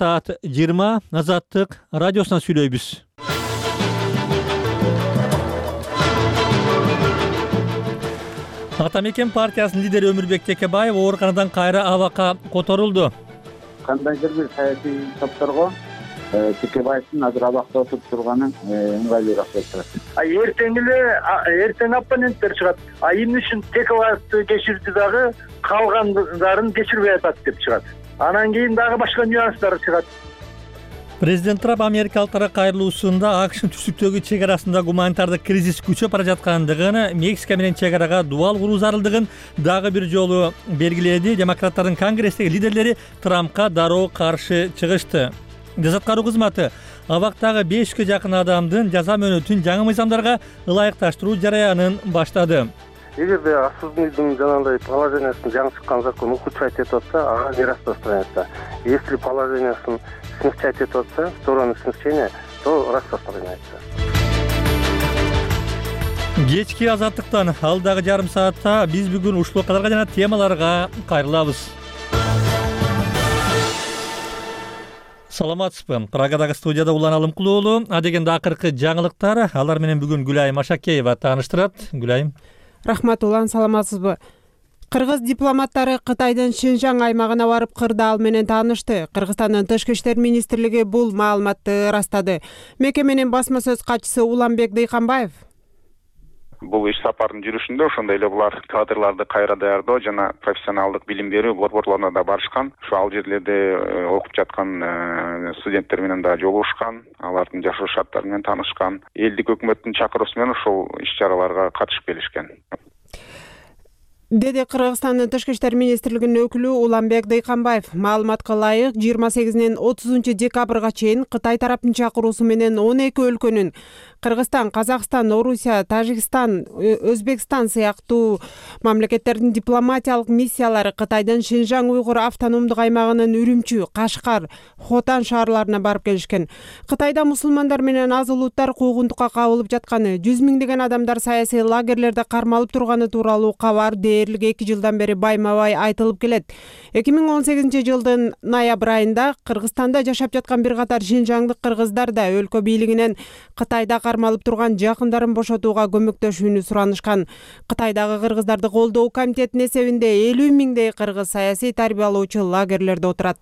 Таат 20 Азаттык радиосунан сүйлөйбүз. Ата мекен партиясынын лидери Өмүрбек Текебаев ооруканадан кайра абакка которулду. Кандайдыр бир саясий топторго Текебаевдин азыр абакта отуруп турганы ыңгайлуураак болуп турат. Эртең оппоненттер чыгат. Эмне үчүн Текебаевди кечирди дагы калгандарын кечирбей атат деп чыгат. Анан кийин дагы башка нюанстар чыгат. Президент Трамп америкалыктарга кайрылуусунда АКШнын түштүктөгү чек арасында гуманитардык кризис күчөп бара жаткандыгын, Мексика менен чек арага дубал куруу зарылдыгын дагы бир жолу белгиледи. Демократтардын конгресстеги лидерлери Трампка дароо каршы чыгышты. Жазат кароо кызматы абактагы 500ге жакын адамдын жаза мөөнөтүн жаңы мыйзамдарга ылайыкташтыруу жараянын баштады. Эгерде осужденныйдын жанагындай положениясын жаңы чыккан закон ухудшать этип атса, ага не распространяется. Если положениясын смягчать этип атса, сторону смягчения, то распространяется. Кечки Азаттыктан алдагы жарым саатта биз бүгүн ушул окуяларга жана темаларга кайрылабыз. Саламатсызбы? Прагадагы студияда Улан Алымкулуу уулу. Адегенде акыркы жаңылыктар, алар менен бүгүн Гүлайым Ашакеева тааныштырат. Гүлайым. Рахмат Улан, саламатсызбы? Кыргыз дипломаттары Кытайдын Шинжаң аймагына барып кырдаал менен таанышты. Кыргызстандын Тышкы иштер министрлиги бул маалыматты ырастады. Мекеменин басма сөз катчысы Уланбек Дыйканбаев бул иш сапардын жүрүшүндө ошондой эле булар кадрларды кайра даярдоо жана профессионалдык билим берүү борборлоруна да барышкан. Ошо ал жерлерде окуп жаткан студенттер менен да жолугушкан, алардын жашоо шарттары менен таанышкан. Элдик өкмөттүн чакыруусу менен ошол иш-чараларга катышып келишкен. Деди Кыргызстандын Тышкы иштер министрлигинин өкүлү Уланбек Дыйканбаев. Маалыматка ылайык 28-нен 30 декабрга чейин Кытай тараптын чакыруусу менен 12 өлкөнүн Кыргызстан, Казакстан, Орусия, Тажикстан, Өзбекстан сыяктуу мамлекеттердин дипломатиялык миссиялары Кытайдын Шинжаң уйгур автономдук аймагынын Үрүмчү, Кашкар, Хотан шаарларына барып келишкен. Кытайда мусулмандар менен аз улуттар куугунтукка кабылып жатканы, 100 миңдеген адамдар саясий лагерлерде кармалып турганы тууралуу кабар дээрлик 2 жылдан бери байма-бай айтылып келет. 2018 жылдын ноябрь айында Кыргызстанда жашап жаткан бир катар шинжаңдык кыргыздар да өлкө бийлигинен Кытайда кармалып турган жакындарын бошотууга көмөктөшүүнү суранышкан. Кытайдагы кыргыздарды колдоо комитетинин эсебинде 50 миңдей кыргыз саясий тарбиялоочу лагерлерде отурат.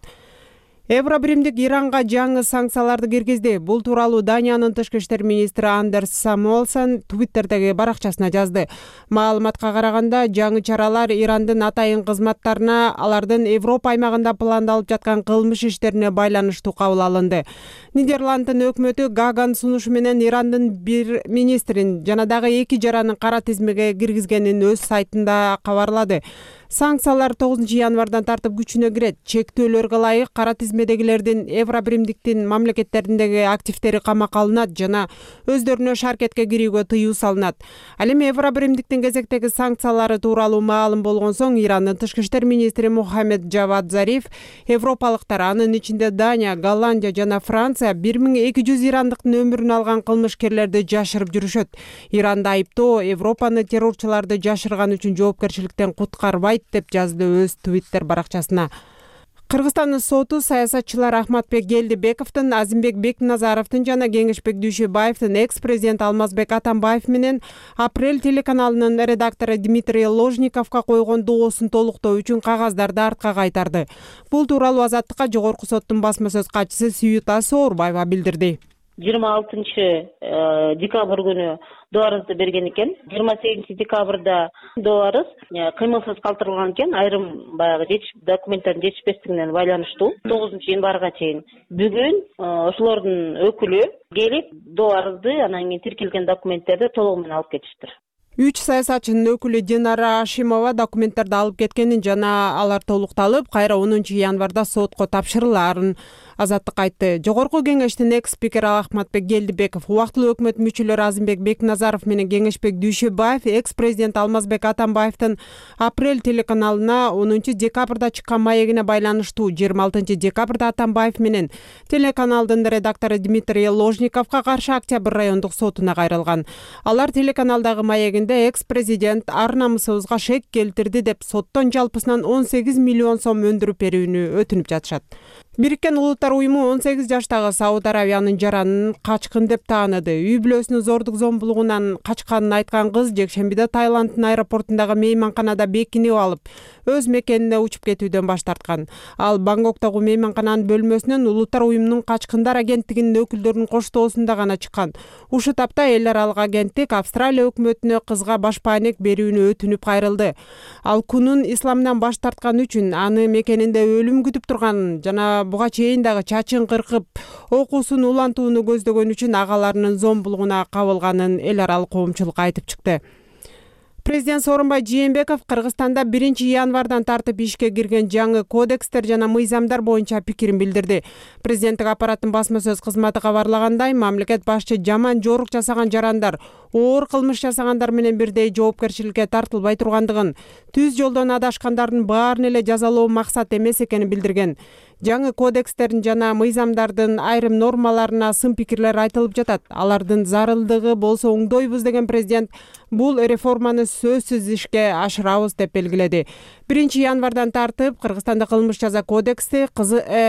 Евробиримдик Иранга жаңы санкцияларды киргизди. Бул тууралуу Даниянын тышкы иштер министри Андерс Самуэлсон Твиттердеги баракчасына жазды. Маалыматка караганда, жаңы чаралар Ирандын атайын кызматтарына алардын Европа аймагында пландалып жаткан кылмыш иштерине байланыштуу кабыл алынды. Нидерланддын өкмөтү Гаган сунушу менен Ирандын бир министрин жана дагы 2 жаранын кара тизмеге киргизгенин өз сайтында кабарлады. Санкциялар 9 январдан тартып күчүнө кирет. Чектөөлөргө ылайык кара тизмедегилердин Евробиримдиктин мамлекеттериндеги активдери камакка алынат жана өздөрүнө шаркетке кирүүгө тыюу салынат. Ал эми Евробиримдиктин кезектеги санкциялары тууралуу маалым болгон соң Ирандын тышкы иштер министри Мухаммед Джавад Зариф европалыктар, анын ичинде Дания, Голландия жана Франция 1200 ирандыктын өмүрүн алган кылмышкерлерди жашырып жүрүшөт. Иранды айыптоо Европаны террорчуларды жашырган үчүн жоопкерчиликтен куткарбайт деп жазды өз Твиттер баракчасына. Кыргызстандын соту саясатчылар Ахматбек Гелдибековдун, Азимбек Бекназаровдун жана Кеңешбек Дүйшөбаевдин экс-президент Алмазбек Атамбаев менен Апрель телеканалынын редактору Дмитрий Ложниковго койгон доосун толуктоо үчүн кагаздарды артка кайтарды. Бул тууралуу Азаттыкка жогорку соттун басма сөз катчысы Сүйүта Соорбаева билдирди. 26 декабрь күнү доорубузду берген экен. 28 декабрда доорубуз кыймылсыз калтырылган экен. Айрым баягы документтердин жетишпестигине байланыштуу 9 январга чейин. Бүгүн ошолордун өкүлү келип доорубузду анан кийин тиркелген документтерди толугу менен алып кетиштир. 3 саясатчынын өкүлү Динара Ашимова документтерди алып кеткенин жана алар толукталып, кайра 10 январда сотко тапшырылаарын Азаттык айтты. Жогорку кеңештин экс-спикери Ахматбек Гелдибеков, убактылуу өкмөт мүчөлөрү Азимбек Бекназаров менен Кеңешбек Дүйшөбаев экс-президент Алмазбек Атамбаевдин Апрель телеканалына 10 декабрда чыккан маегине байланыштуу 26 декабрда Атамбаев менен телеканалдын редактору Дмитрий Ложниковго каршы Октябрь райондук сотуна кайрылган. Алар телеканалдагы маегинде экс-президент ар намысыбызга шек келтирди деп соттон жалпысынан 18 миллион сом өндүрүп берүүнү өтүнүп жатышат. Бириккен Улуттар уюму 18 жаштагы Сауд Аравиянын жаранын качкын деп тааныды. Үй бүлөсүнүн зордук зомбулугунан качканын айткан кыз жекшембиде Таиланддын аэропортундагы мейманканада бекинип алып, өз мекенине учуп кетүүдөн баш тарткан. Ал Бангкоктогу мейманкананын бөлмөсүнөн Улуттар уюмунун качкындар агенттигинин өкүлдөрүнүн коштоосунда гана чыккан. Ушул тапта эл аралык агенттик Австралия өкмөтүнө кызга баш паанек берүүнү өтүнүп кайрылды. Ал Кунун исламдан баш тарткан үчүн, аны мекенинде өлүм күтүп турганын жана буга чейин дагы чачын кыркып, окуусун улантууну көздөгөн үчүн агаларынын зомбулугуна кабылганын эл аралык коомчулук айтып чыкты. Президент Сооронбай Жээнбеков Кыргызстанда 1-январдан тартып ишке кирген жаңы кодекстер жана мыйзамдар боюнча пикирин билдирди. Президенттик аппараттын басма сөз кызматы кабарлагандай, мамлекет башчы жаман жорук жасаган жарандар оор кылмыш жасагандар менен бирдей жоопкерчиликке тартылбай тургандыгын, түз жолдон адашкандардын баарын эле жазалоо максат эмес экенин билдирген. Жаңы кодекстердин жана мыйзамдардын айрым нормаларына сын пикирлер айтылып жатат. Алардын зарылдыгы болсо оңдойбуз деген президент бул реформаны сөзсүз ишке ашырабыз деп белгиледи. 1-январдан тартып Кыргызстанда кылмыш жаза кодекси,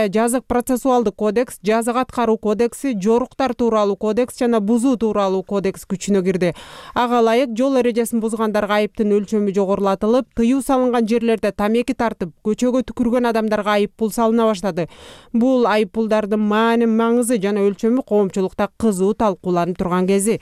жазык процессуалдык кодекс, жазык аткаруу кодекси, жоруктар тууралуу кодекс жана бузуу тууралуу кодекс күчүнө кирди. Ага ылайык жол эрежесин бузгандарга айыптын өлчөмү жогорулатылып, тыюу салынган жерлерде тамеки тартып, көчөгө түкүргөн адамдарга айып пул салына баштады. Бул айып пулдардын маңызы жана өлчөмү коомчулукта кызуу талкууланып турган кези.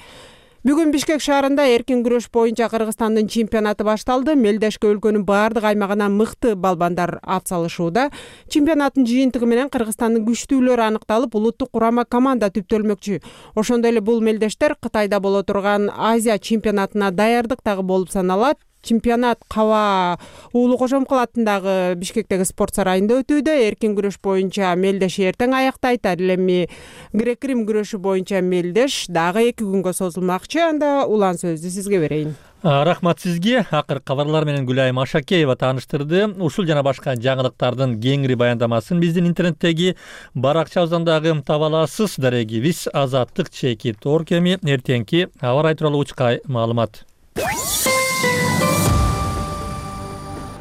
Бүгүн Бишкек шаарында эркин күрөш боюнча Кыргызстандын чемпионаты башталды. Мелдешке өлкөнүн баардык аймагынан мыкты балбандар ат салышууда. Чемпионаттын жыйынтыгы менен Кыргызстандын күчтүүлөрү аныкталып, улуттук курама команда түптөлмөкчү. Ошондой эле бул мелдештер Кытайда боло турган Азия чемпионатына даярдык дагы болуп саналат. Чемпионат Каба Уулу Кожомкул атындагы Бишкектеги спорт сарайында өтүүдө. Эркин күрөш боюнча мелдеш эртең аяктайт. Ал эми грек-рим күрөшү боюнча мелдеш дагы 2 күнгө созулмакчы. Анда улан сөздү сизге берейин. Рахмат сизге. Акыркы кабарлар менен Гүлайым Ашакеева тааныштырды. Ушул жана башка жаңылыктардын кеңири баяндамасын биздин интернеттеги баракчабыздан дагы таба аласыз. Дарегибиз Азаттык Чекит Оркеми. Эртеңки аба ырайы тууралуу учкай маалымат.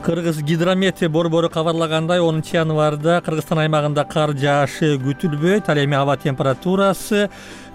Кыргыз гидромет борбору кабарлагандай, 10-январда Кыргызстан аймагында кар жаашы күтүлбөйт. Ал эми аба температурасы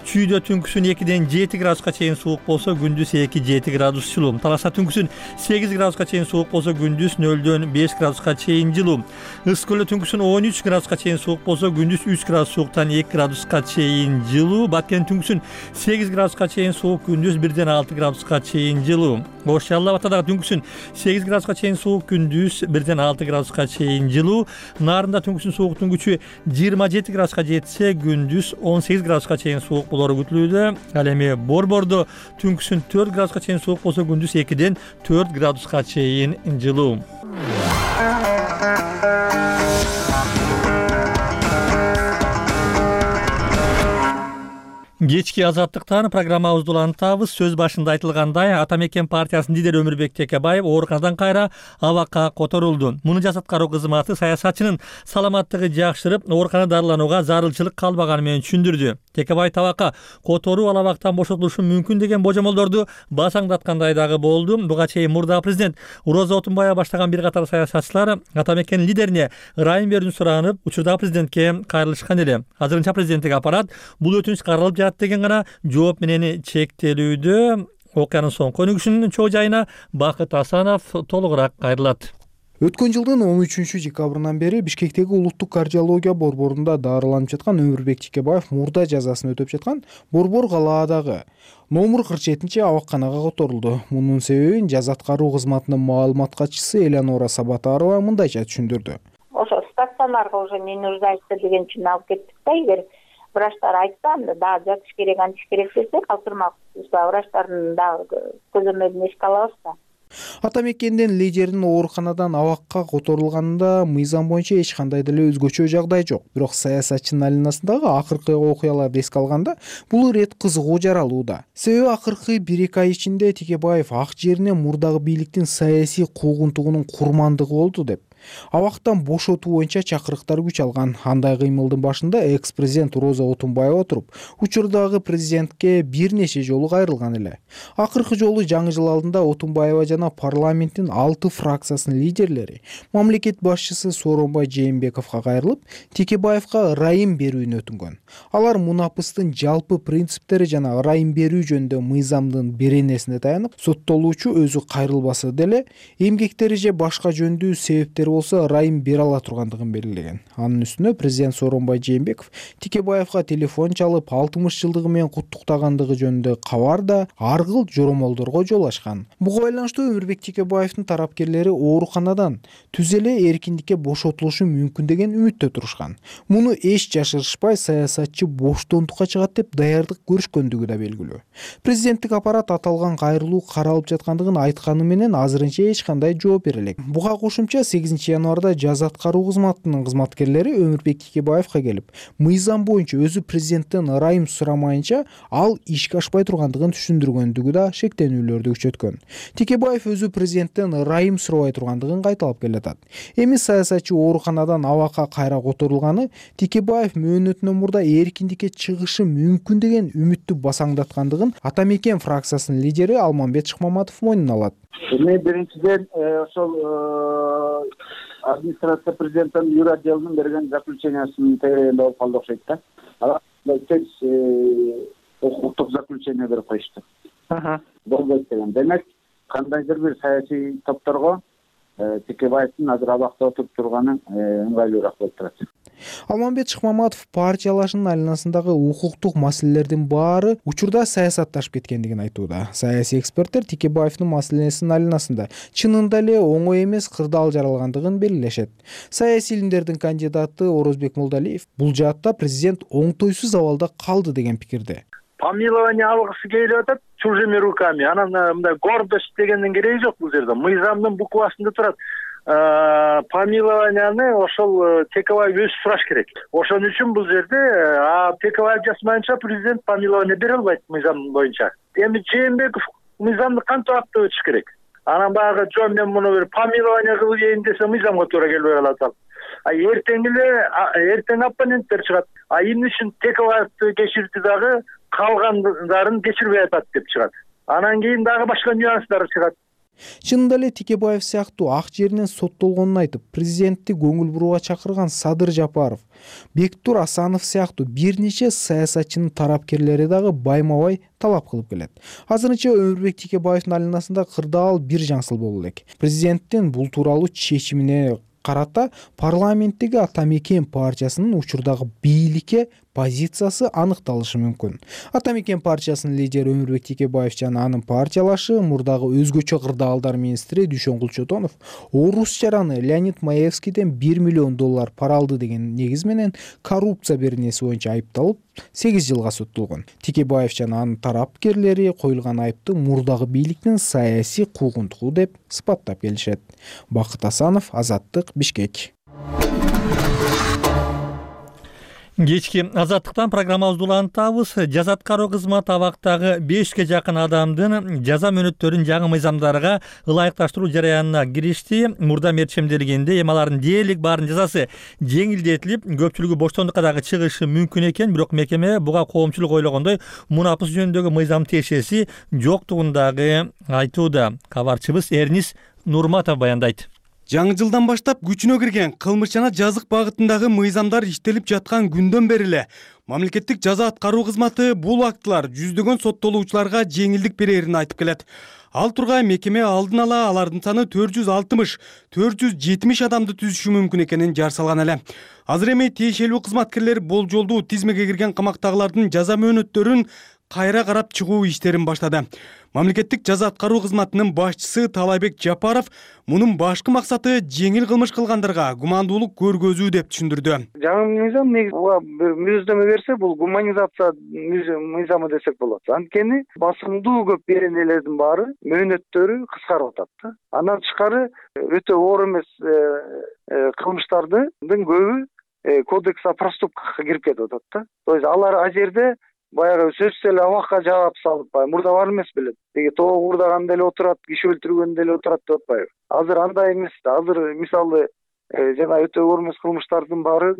чүйдө түнкүсүн 2-ден 7 градуска чейин суук болсо, күндүз 2-7 градус жылуу. Таласа түнкүсүн 8 градуска чейин суук болсо, күндүз 0-дөн 5 градуска чейин жылуу. Ысык көлдө түнкүсүн 13 градуска чейин суук болсо, күндүз 3 градус сууктан 2 градуска чейин жылуу. Баткен түнкүсүн 8 градуска чейин суук, күндүз 1-ден 6 градуска чейин жылуу. Ош Жалал Абада дагы түнкүсүн 8 градуска чейин суук, күндүз 1-ден 6 градуска чейин жылуу. Нарында түнкүсүн сууктун күчү 27 градуска жетсе, күндүз 18 градуска чейин суук болору күтүлүүдө. Ал эми Борбордо түнкүсүн 4 градуска чейин суук болсо, күндүз 2-ден 4 градуска чейин жылуу. Кечки Азаттыктан программабызды улантабыз. Сөз башында айтылгандай, Ата мекен партиясынын лидери Өмүрбек Текебаев ооруканадан кайра абакка которулду. Муну жас аткаруу кызматы саясатчынын саламаттыгы жакшырып, ооруканада дарыланууга зарылчылык калбаганы менен түшүндүрдү. Текебаев абакка которуу ал абактан бошотулушу мүмкүн деген божомолдорду басаңдаткандай дагы болду. Буга чейин мурдагы президент Роза Отунбаева баштаган бир катар саясатчылар Ата мекенин лидерине ырайым берүүнү суранып, учурдагы президентке кайрылышкан эле. Азырынча президенттик аппарат бул өтүнүч каралып жатат деген гана жооп менен чектелүүдө. Окуянын соңку өнүгүшүнүн чоо жайына Бакыт Асанов толугураак кайрылат. Өткөн жылдын 13-декабрынан бери Бишкектеги улуттук кардиология борборунда дарыланып жаткан Өмүрбек Текебаев мурда жазасын өтөп жаткан Борбор калаадагы номер 47-абакканага которулду. Мунун себебин жас аткаруу кызматынын маалымат катчысы Элеонора Сабатарова мындайча түшүндүрдү. Ошо стационарга уже не нуждается деген үчүн алып кеттик да. Эгер врачтар айтса, анда дагы жатыш керек, антиш керек десе, калтырмак врачтардын дагы көзөмөлүн эске алабыз да. Ата мекендин лидеринин ооруканадан абакка которулганында мыйзам боюнча эч кандай деле өзгөчө жагдай жок. Бирок саясатчынын алинасындагы акыркы окуяларды эске алганда бул ирет кызыгуу жаралууда. Себеби акыркы 1-2 ай ичинде Текебаев ак жерине мурдагы бийликтин саясий куугунтугунун курмандыгы болду деп. Абактан бошотуу боюнча чакырыктар күч алган. Андай кыймылдын башында экс-президент Роза Отунбаева туруп, учурдагы президентке бир нече жолу кайрылган эле. Акыркы жолу жаңы жыл алдында Отунбаева жана парламенттин 6 фракциясынын лидерлери мамлекет башчысы Сооронбай Жээнбековго кайрылып, Текебаевга ырайым берүүнү өтүнгөн. Алар мунапыстын жалпы принциптери жана ырайым берүү жөнүндө мыйзамдын беренесине таянып, соттолуучу өзү кайрылбаса деле эмгектери же башка жөндүү себептери болсо ырайым бере ала тургандыгын белгилеген. Анын үстүнө президент Сооронбай Жээнбеков Текебаевга телефон чалып 60 жылдыгы менен куттуктагандыгы жөнүндө кабар да аргыл жоромолдорго жол ачкан. Буга байланыштуу Өмүрбек Текебаевдин тарапкерлери ооруканадан түз эле эркиндикке бошотулушу мүмкүн деген үмүттө турушкан. Муну эч жашырышпай саясатчы боштондукка чыгат деп даярдык көрүшкөндүгү да белгилүү. Президенттик аппарат аталган кайрылуу каралып жаткандыгын айтканы менен азырынча эч кандай жооп бере элек. Буга кошумча 8 январда жаза аткаруу кызматынын кызматкерлери Өмүрбек Текебаевга келип, мыйзам боюнча өзү президенттен ырайым сурамайынча ал ишке ашпай тургандыгын түшүндүргөндүгү да шектенүүлөрдү күчөткөн. Текебаев өзү президенттен ырайым сурабай тургандыгын кайталап келатат. Эми саясатчы ооруканадан абакка кайра которулганы Текебаев мөөнөтүнөн мурда эркиндикке чыгышы мүмкүн деген үмүттү басаңдаткандыгын Ата Мекен фракциясынын лидери Алмамбет Шыкмаматов мойнуна алат. Эми биринчиден ошол администрация президенттин юр отделинин берген заключениясынын тегерегинде болуп калды окшойт да. Алар тез укуктук заключение берип коюшту. Болбойт деген. Демек, кандайдыр бир саясий топторго Текебаевдин азыр абакта отуруп турганы ыңгайлуураак болуп турат. Алмамбет Шыкмаматов партиялашынын айланасындагы укуктук маселелердин баары учурда саясатташып кеткендигин айтууда. Саясий эксперттер Текебаевдин маселесинин айланасында чынында эле оңой эмес кырдаал жаралгандыгын белгилешет. Саясий илимдердин кандидаты Орозбек Молдалиев бул жаатта президент оңтойсуз абалда калды деген пикирде. Помилование алгысы келип атат чужими руками. Анан мындай гордость дегендин кереги жок бул жерде. Мыйзамдын буквасында турат. Помилованияны ошол Текебаев өзү сураш керек. Ошон үчүн бул жерде Текебаев жасмайынча президент помилование бере албайт мыйзам боюнча. Эми Жээнбеков мыйзамды кантип аттап өтүш керек? Анан баягы жөн мен муну бир помилование кылайын десе мыйзамга туура келбей калат ал. Эртең оппоненттер чыгат. Эмне үчүн Текебаевди кечирди дагы калгандарын кечирбей атат деп чыгат. Анан кийин дагы башка нюанстар чыгат. Чынында эле Текебаев сыяктуу ак жеринен соттолгонун айтып, президентти көңүл бурууга чакырган Садыр Жапаров, Бектур Асанов сыяктуу бир нече саясатчынын тарапкерлери дагы байма-бай талап кылып келет. Азырынча Өмүрбек Текебаевдин айланасында кырдаал бир жаңсыл боло элек. Президенттин бул тууралуу чечимине карата парламенттеги Ата Мекен партиясынын учурдагы бийликке позициясы аныкталышы мүмкүн. Ата Мекен партиясынын лидери Өмүрбек Текебаев жана анын партиялашы мурдагы өзгөчө кырдаалдар министри Дүйшөн Кулчотонов орус жараны Леонид Маевскийден $1 миллион пара алды деген негиз менен коррупция беренеси боюнча айыпталып 8 жылга соттолгон. Текебаев жана анын тарапкерлери коюлган айыпты мурдагы бийликтин саясий куугунтугу деп сыпаттап келишет. Бакыт Асанов, Азаттык, Бишкек. Кечки Азаттыктан программабызды улантабыз. Жаза аткаруу кызматы абактагы 5ке жакын адамдын жаза мөөнөттөрүн жаңы мыйзамдарга ылайыкташтыруу жараянына киришти. Мурда мерчемделгенде эми алардын дээрлик баардын жазасы жеңилдетилип, көпчүлүгү боштондукка дагы чыгышы мүмкүн экен, бирок мекеме буга коомчулук ойлогондой мунапыс жөнүндөгү мыйзам тиешеси жоктугун дагы айтууда. Кабарчыбыз Эрнис Нурматов баяндайт. Жаңы жылдан баштап күчүнө кирген кылмыш жана жазык багытындагы мыйзамдар иштелип жаткан күндөн бери эле мамлекеттик жаза аткаруу кызматы бул актылар жүздөгөн соттолуучуларга жеңилдик берерин айтып келет. Ал тургай мекеме алдын ала алардын саны 460-470 адамды түзүшү мүмкүн экенин жар салган эле. Азыр эми тиешелүү кызматкерлер болжолдуу тизмеге кирген камактагылардын жаза мөөнөттөрүн кайра карап чыгуу иштерин баштады. Мамлекеттик жаза аткаруу кызматынын башчысы Талайбек Жапаров мунун башкы максаты жеңил кылмыш кылгандарга гумандуулук көргөзүү деп түшүндүрдү. Жаңы мыйзам негизи мүнөздөмө берсе бул гуманизация мыйзамы десек болот. Анткени басымдуу көп беренелердин баары мөөнөттөрү кыскарып атат. Андан тышкары өтө оор эмес кылмыштардын көбү кодекс о проступках кирип кетип атат. То есть алар а жерде баягы сөзсүз эле абакка жаап салып, мурда бар эмес белет. Деги тоогурдаганда эле отурат, киши өлтүргөндө эле отурат деп атпайбы. Азыр андай эмес. Азыр мисалы жана өтөөгө эмес кылмыштардын баары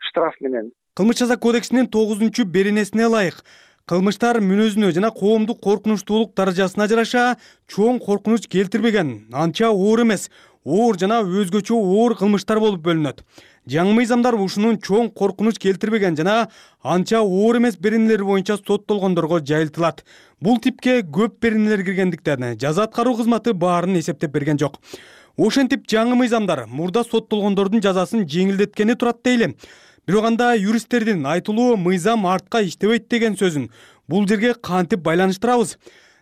штраф менен. Кылмыш жаза кодексинин 9-беренесине ылайык кылмыштар мүнөзүнө жана коомдук коркунучтуулук даражасына жараша чоң коркунуч келтирбеген, анча оор эмес, оор жана өзгөчө оор кылмыштар болуп бөлүнөт. Жаңы мыйзамдар ушунун чоң коркунуч келтирбеген жана анча оор эмес беренелери боюнча соттолгондорго жайылтылат. Бул типке көп беренелер киргендиктен жаза аткаруу кызматы баарын эсептеп берген жок. Ошентип жаңы мыйзамдар мурда соттолгондордун жазасын жеңилдеткени турат дейли. Бирок анда юристтердин айтылуу мыйзам артка иштебейт деген сөзүн бул жерге кантип байланыштырабыз?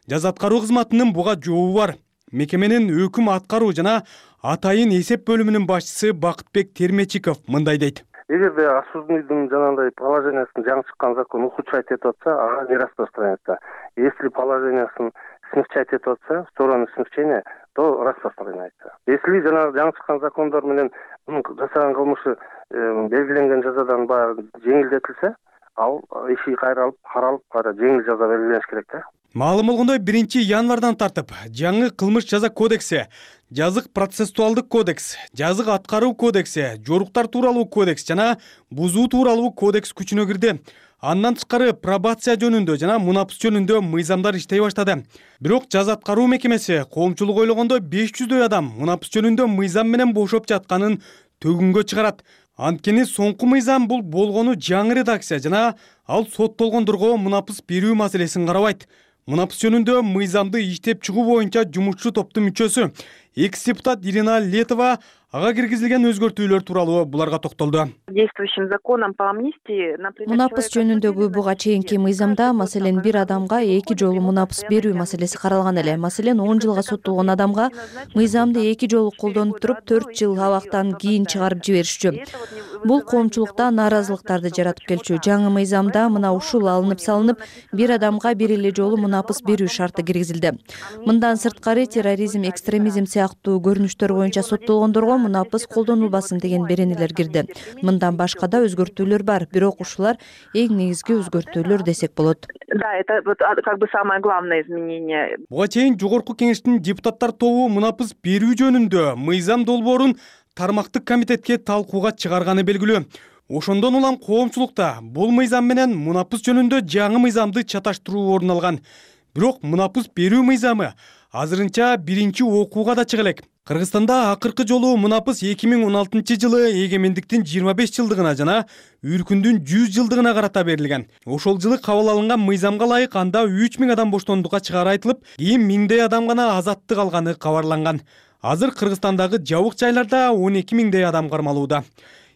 Жаза аткаруу кызматынын буга жообу бар. Мекеменин өкүм аткаруу жана атайын эсеп бөлүмүнүн башчысы Бакытбек Термечиков мындай дейт. Эгерде осужденныйдын жанагындай положениясын жаңы чыккан закон ухудшать этип атса, ага не распространяется. Если положениясын смягчать этип атса, в сторону смягчения, то распространяется. Если жаңы чыккан закондор менен жасаган кылмышы белгиленген жазадан баягы жеңилдетилсе, ал иши кайра алып каралып, кайра жеңил жаза белгилениш керек да. Маалым болгондой 1-январдан тартып жаңы кылмыш жаза кодекси, жазык процессуалдык кодекс, жазык аткаруу кодекси, жоруктар тууралуу кодекс жана бузуу тууралуу кодекс күчүнө кирди. Андан тышкары пробация жөнүндө жана мунапыс жөнүндө мыйзамдар иштей баштады. Бирок жаза аткаруу мекемеси коомчулук ойлогондо 500дөй адам мунапыс жөнүндө мыйзам менен бошоп жатканын төгүнгө чыгарат. Анткени соңку мыйзам бул болгону жаңы редакция жана ал соттолгондорго мунапыс берүү маселесин карабайт. Мунапыс жөнүндө мыйзамды иштеп чыгуу боюнча жумушчу топтун мүчөсү экс-депутат Ирина Летова ага киргизилген өзгөртүүлөр тууралуу буларга токтолду. Действующим законом по амнистии, мунапыс жөнүндөгү буга чейинки мыйзамда, маселен, бир адамга 2 жолу мунапыс берүү маселеси каралган эле. Маселен, 10 жылга соттолгон адамга мыйзамды 2 жолу колдонуп туруп 4 жыл абактан кийин чыгарып жиберишчү. Бул коомчулукта нааразылыктарды жаратып келчү. Жаңы мыйзамда мына ушул алынып салынып, бир адамга бир эле жолу мунапыс берүү шарты киргизилди. Мындан сырткары терроризм, экстремизм сыяктуу көрүнүштөр боюнча соттолгондорго мунапыс колдонулбасын деген беренелер кирди. Мындан башка да өзгөртүүлөр бар, бирок ушулар эң негизги өзгөртүүлөр десек болот. Да, это вот как бы самое главное изменение. Буга чейин жогорку кеңештин депутаттар тобу мунапыс берүү жөнүндө мыйзам долбоорун тармактык комитетке талкууга чыгарганы белгилүү. Ошондон улам коомчулукта бул мыйзам менен мунапыс жөнүндө жаңы мыйзамды чаташтыруу орун алган. Бирок мунапыс берүү мыйзамы азырынча биринчи окууга да чыга элек. Кыргызстанда акыркы жолу мунапыс 2016-жылы эгемендиктин 25 жылдыгына жана үркүндүн 100 жылдыгына карата берилген. Ошол жылы кабыл алынган мыйзамга ылайык анда 3000 адам боштондукка чыгаары айтылып, кийин 1000дей адам гана азаттык алганы кабарланган. Азыр Кыргызстандагы жабык жайларда 12000дей адам кармалууда.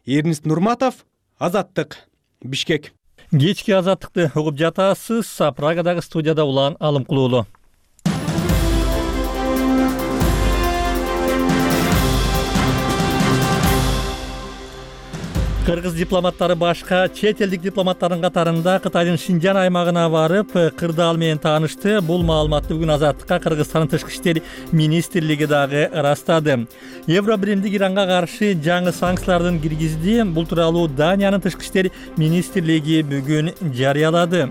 Эрнист Нурматов, Азаттык, Бишкек. Кечки Азаттыкты угуп жатасыз. Прагадагы студияда Улан Алымкулуулу. Кыргыз дипломаттары башка чет элдик дипломаттардын катарында Кытайдын Шинжан аймагына барып, кырдаал менен таанышты. Бул маалыматты бүгүн Азаттыкка Кыргызстандын Тышкы иштер министрлиги дагы ырастады. Евробиримдик Иранга каршы жаңы санкциялардын киргизди. Бул тууралуу Даниянын Тышкы иштер министрлиги бүгүн жарыялады.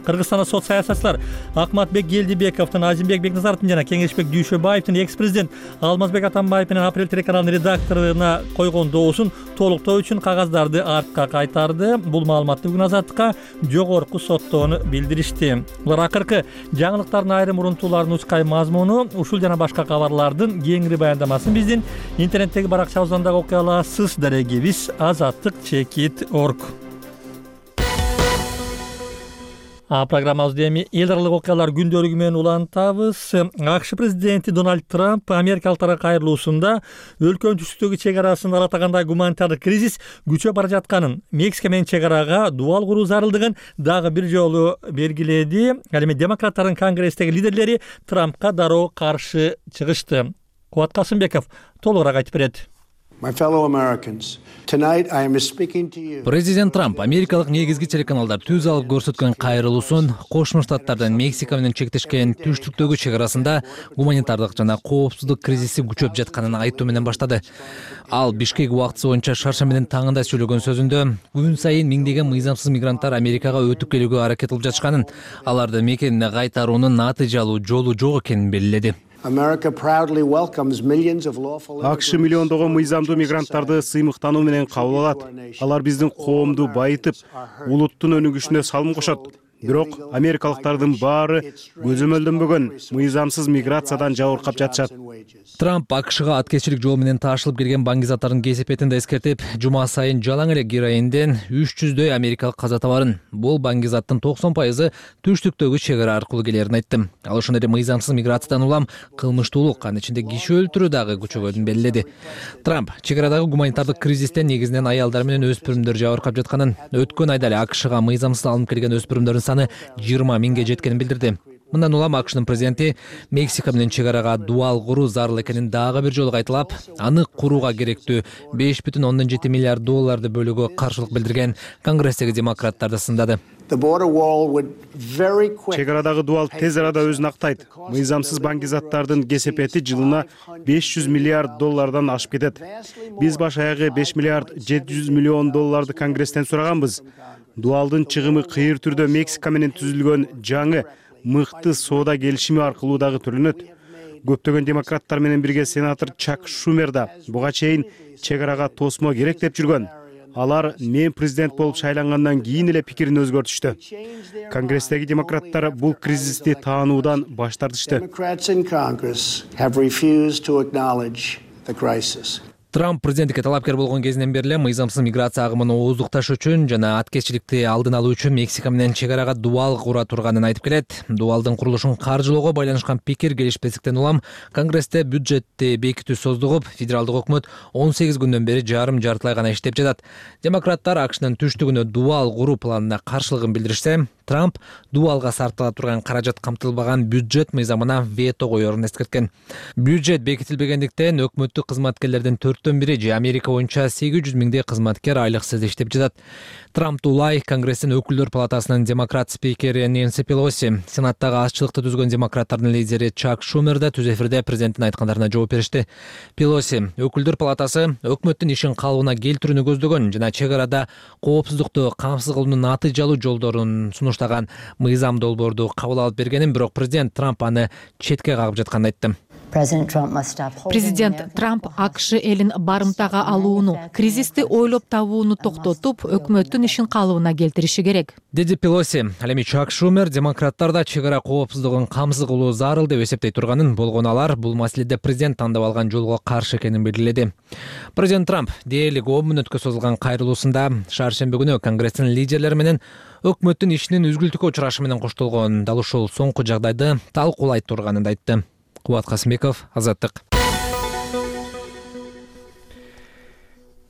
Кыргызстанда сот саясатчылар Акматбек Гелдибековдун, Азимбек Бекназаровдун жана Кеңешбек Дүйшөбаевдин экс-президент Алмазбек Атамбаев менен Апрель телеканалынын редакторуна койгон доосун толуктоо үчүн кагаздарды артка кайтарды. Бул маалыматты бүгүн Азаттыкка жогорку соттон билдиришти. Булар акыркы жаңылыктардын айрым урунтууларынын учкай мазмуну, ушул жана башка кабарлардын кеңири баяндамасын биздин интернеттеги баракчабыздан дагы окуй аласыз. Дарегибиз azattik.org. Программабызды эми эл аралык окуялар күндөлүгү менен улантабыз. АКШ президенти Дональд Трамп америкалыктарга кайрылуусунда өлкөнүн түштүктөгү чек арасын алатагандай гуманитардык кризис күчөп бара жатканын, Мексика менен чек арага дубал куруу зарылдыгын дагы бир жолу белгиледи. Ал эми демократтардын конгресстеги лидерлери Трампка дароо каршы чыгышты. Кубат Касымбеков толугураак айтып берет. Президент Трамп америкалык негизги телеканалдар түз алып көрсөткөн кайрылуусун Кошмо Штаттардын Мексика менен чектешкен түштүктөгү чек арасында гуманитардык жана коопсуздук кризиси күчөп жатканын айтуу менен баштады. Ал Бишкек убактысы боюнча шаршембинин таңында сүйлөгөн сөзүндө күн сайын миңдеген мыйзамсыз мигранттар Америкага өтүп келүүгө аракет кылып жатышканын, аларды мекенине кайтаруунун натыйжалуу жолу жок экенин белгиледи. акш миллиондогон мыйзамдуу мигранттарды сыймыктануу менен кабыл алат. Алар биздин коомду байытып, улуттун өнүгүшүнө салым кошот. Бирок америкалыктардын баары көзөмөлдөнбөгөн мыйзамсыз миграциядан жабыркап жатышат. Трамп АКШга аткезчилик жол менен таашылып келген баңгизаттардын кесепетин да эскертип, жума сайын жалаң эле героинден 300дөй америкалык каза табарын. Бул баңгизаттын 90% түштүктөгү чек ара аркылуу келерин айтты. Ал ошондой эле мыйзамсыз миграциядан улам кылмыштуулук, анын ичинде киши өлтүрүү дагы күчөгөнүн белгиледи. Трамп чек арадагы гуманитардык кризистен негизинен аялдар менен өспүрүмдөр жабыркап жатканын, өткөн айда эле АКШга мыйзамсыз алынып келген өспүрүмдөрдүн саны 20 миңге жеткенин билдирди. Мындан улам АКШнын президенти Мексика менен чек арага дуал куруу зарыл экенин дагы бир жолу кайталап, аны курууга керектүү $5,7 миллиард бөлүүгө каршылык билдирген Конгресстеги демократтарды сындады. Чек арадагы дуал тез арада өзүн актайт. Мыйзамсыз баңгизаттардын кесепети жылына $500 миллиард ашып кетет. Биз баш аягы $5 миллиард 700 миллион Конгресстен сураганбыз. Дуалдын чыгымы кыйыр түрдө Мексика менен түзүлгөн жаңы мыкты соода келишими аркылуу дагы төлөнөт. Көптөгөн демократтар менен бирге сенатор Чак Шумер да буга чейин чек арага тосмо керек деп жүргөн. Алар мен президент болуп шайлангандан кийин эле пикирин өзгөртүштү. Конгресстеги демократтар бул кризисти таануудан баш тартышты. Трамп президенттикке талапкер болгон кезинен бери эле мыйзамсыз миграция агымын ооздукташ үчүн жана аткезчиликти алдын алуу үчүн Мексика менен чек арага дуал кура турганын айтып келет. Дуалдын курулушун каржылоого байланышкан пикир келишпестиктен улам Конгрессте бюджетти бекитүү создугуп, федералдык өкмөт 18 күндөн бери жартылай гана иштеп жатат. Демократтар АКШнын түштүгүнө дуал куруу планына каршылыгын билдиришсе, Трамп дуалга сарптала турган каражат камтылбаган бюджет мыйзамына вето коерун эскерткен. Бюджет бекитилбегендиктен өкмөттүк кызматкерлердин 4/4 же Америка боюнча 800 миңдей кызматкер айлыксыз иштеп жатат. Трамп улай Конгресстин өкүлдөр палатасынын демократ спикери Нэнси Пелоси, Сенаттагы азчылыкты түзгөн демократтардын лидери Чак Шумер да түз эфирде президенттин айткандарына жооп беришти. Пелоси өкүлдөр палатасы өкмөттүн ишин калыбына келтирүүнү көздөгөн жана чек арада коопсуздукту камсыз кылуунун натыйжалуу жолдорун сунуштаган мыйзам долбоорду кабыл алып бергенин, бирок президент Трамп аны четке кагып жатканын айтты. Президент Трамп АКШ элин барымтага алууну, кризисти ойлоп табууну токтотуп, өкмөттүн ишин калыбына келтириши керек, деди Пелоси. Ал эми Чак Шумер демократтар да чек ара коопсуздугун камсыз кылуу зарыл деп эсептей турганын, болгону алар бул маселеде президент тандап алган жолго каршы экенин белгиледи. Президент Трамп дээрлик 10 мүнөткө созулган кайрылуусунда шаршемби күнү Конгресстин лидерлери менен өкмөттүн ишинин үзгүлтүккө учурашы менен коштолгон, дал ушул соңку жагдайды талкуулай турганын айтты. Кубат Касымбеков, Азаттык.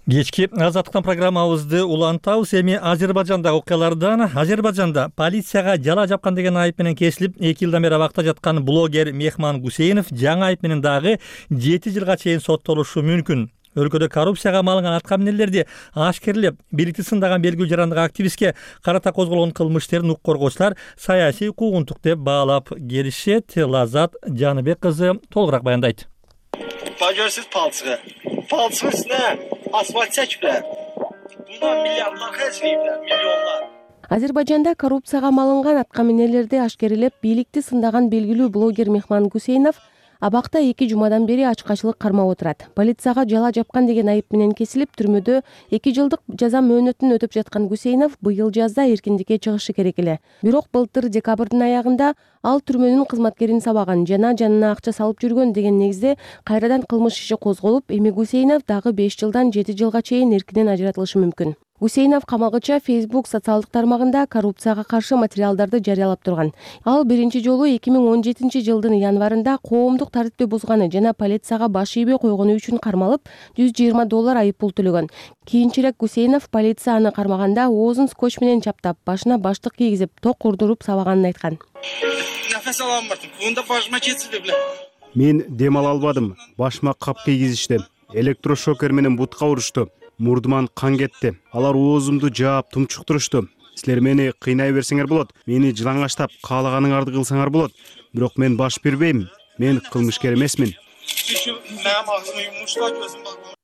Кечки Азаттыктан программабызды улантабыз. Эми Азербайжандагы окуялардан. Азербайжанда полицияга жала жапкан деген айып менен кесилип, 2 жылдан бери абакта жаткан блогер Мехман Гусейнов жаңы айып менен дагы 7 жылга чейин соттолушу мүмкүн. Өлкөдө коррупцияга малынган аткаминерлерди ашкерлеп, бийликти сындаган белгилүү жарандык активистке карата козголгон кылмыш иштерин укук коргоочулар саясий куугунтук деп баалап келишет. Лазат Жаныбек кызы толугураак баяндайт. Пожарсыз палцыгы. Палцыгы үстүнө асфальт чечиптер. Мындан миллиарддар хажылыптар, миллионлар. Азербайжанда коррупцияга малынган аткаминерлерди ашкерлеп, бийликти сындаган белгилүү блогер Мехман Гусейнов абакта 2 жумадан бери ачкачылык кармап отурат. Полицияга жала жапкан деген айып менен кесилип, түрмөдө 2 жылдык жаза мөөнөтүн өтөп жаткан Гусейнов быйыл жазда эркиндикке чыгышы керек эле. Бирок былтыр декабрдын аягында ал түрмөнүн кызматкерин сабаган жана жанына акча салып жүргөн деген негизде кайрадан кылмыш иши козголуп, эми Гусейнов дагы 5 жылдан 7 жылга чейин эркинен ажыратылышы мүмкүн. Гусейнов камалгыча Facebook социалдык тармагында коррупцияга каршы материалдарды жарыялап турган. Ал биринчи жолу 2017 жылдын январында коомдук тартипти бузганы жана полицияга баш ийбей койгону үчүн кармалып, $120 айып пул төлөгөн. Кийинчерээк Гусейнов полиция аны кармаганда оозун скотч менен чаптап, башына баштык кийгизип, ток урдуруп сабаганын айткан. Нефес ала алмадым. Кунда башыма жетиди биле. Мен дем ала албадым. Башыма кап кийгизишти. Электрошокер менен бутка урушту. Мурдуман кан кетти. Алар оозумду жаап тумчуктурушту. Силер мени кыйнай берсеңер болот. Мени жылаңаштап, каалаганыңарды кылсаңар болот. Бирок мен баш бербейм. Мен кылмышкер эмесмин.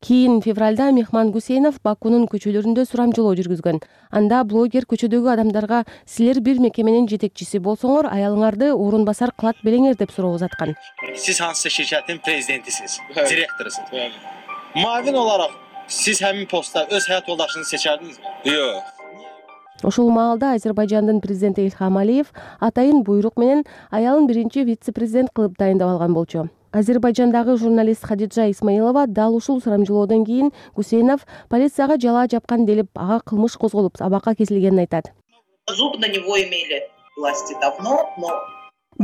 кийин февралда Мехман Гусейнов Бакунун көчөлөрүндө сурамжылоо жүргүзгөн. Анда блогер көчөдөгү адамдарга силер бир мекеменин жетекчиси болсоңор, аялыңарды орун басар кылат белеңер деп суроо узаткан. Siz hansısa şirketin prezidentisiniz, direktorusunuz. Mavin olarak siz həmin postda öz həyat yoldaşınızı seçerdiniz mi? Yo'q. Ошол маалда Азербайжандын президенти Ильхам Алиев атайын буйрук менен аялын биринчи вице-президент кылып дайындап алган болчу. Азербайжандагы журналист Хадиджа Исмаилова дал ушул сурамжылоодон кийин Гусейнов полицияга жалаа жапкан делип, ага кылмыш козголуп, абакка кесилгенин айтат. Зуб на него имели власти давно, но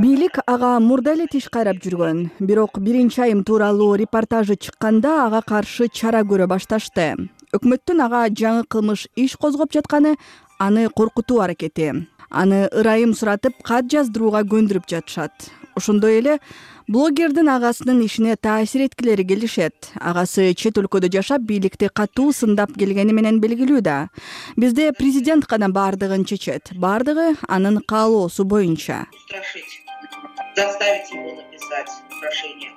бийлик ага мурда эле тиш кайрап жүргөн. Бирок биринчи айым тууралуу репортажы чыкканда ага каршы чара көрө башташты. Өкмөттүн ага жаңы кылмыш иш козгоп жатканы аны коркутуу аракети. Аны ырайым суратып, кат жаздырууга көндүрүп жатышат. Ошондой эле блогердин агасынын ишине таасир эткилери келишет. Агасы чет өлкөдө жашап, бийликти катуу сындап келгени менен белгилүү да. Бизде президент гана бардыгын чечет. Бардыгы анын каалоосу боюнча. Заставить его написать прошение.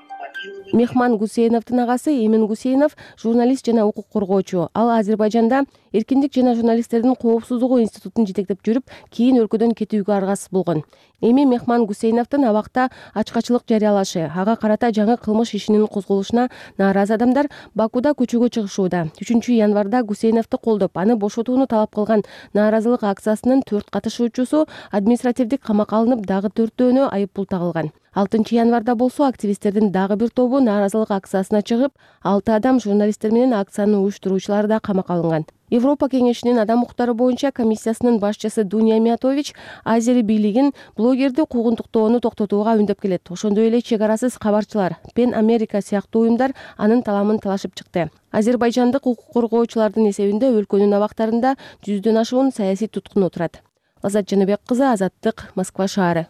Мехман Гусейновдун агасы Эмин Гусейнов журналист жана укук коргоочу. Ал Азербайжанда эркиндик жана журналисттердин коопсуздугу институтун жетектеп жүрүп, кийин өлкөдөн кетүүгө аргасыз болгон. Эми Мехман Гусейновдун абакта ачкачылык жарыялашы, ага карата жаңы кылмыш ишинин козголушуна нааразы адамдар Бакуда көчөгө чыгышууда. 3 январда Гусейновду колдоп, аны бошотууну талап кылган нааразылык акциясынын 4 катышуучусу административдик камакка алынып, дагы 4-өөнө айыппул тагылган. 6 январда болсо активисттердин дагы бир тобу нааразылык акциясына чыгып, 6 адам журналисттер менен акцияны уюштуруучулар да камакка алынган. Европа кеңешинин адам укуктары боюнча комиссиясынын башчысы Дуня Миятович Азери бийлигин блогерди куугунтуктоону токтотууга үндөп келет. Ошондой эле чек арасыз кабарчылар, Пен Америка сыяктуу уюмдар анын таламын талашып чыкты. Азербайжандык укук коргоочулардын эсебинде өлкөнүн абактарында 100дөн ашуун саясий туткун отурат. Азат Жаныбек кызы, Азаттык, Москва шаары.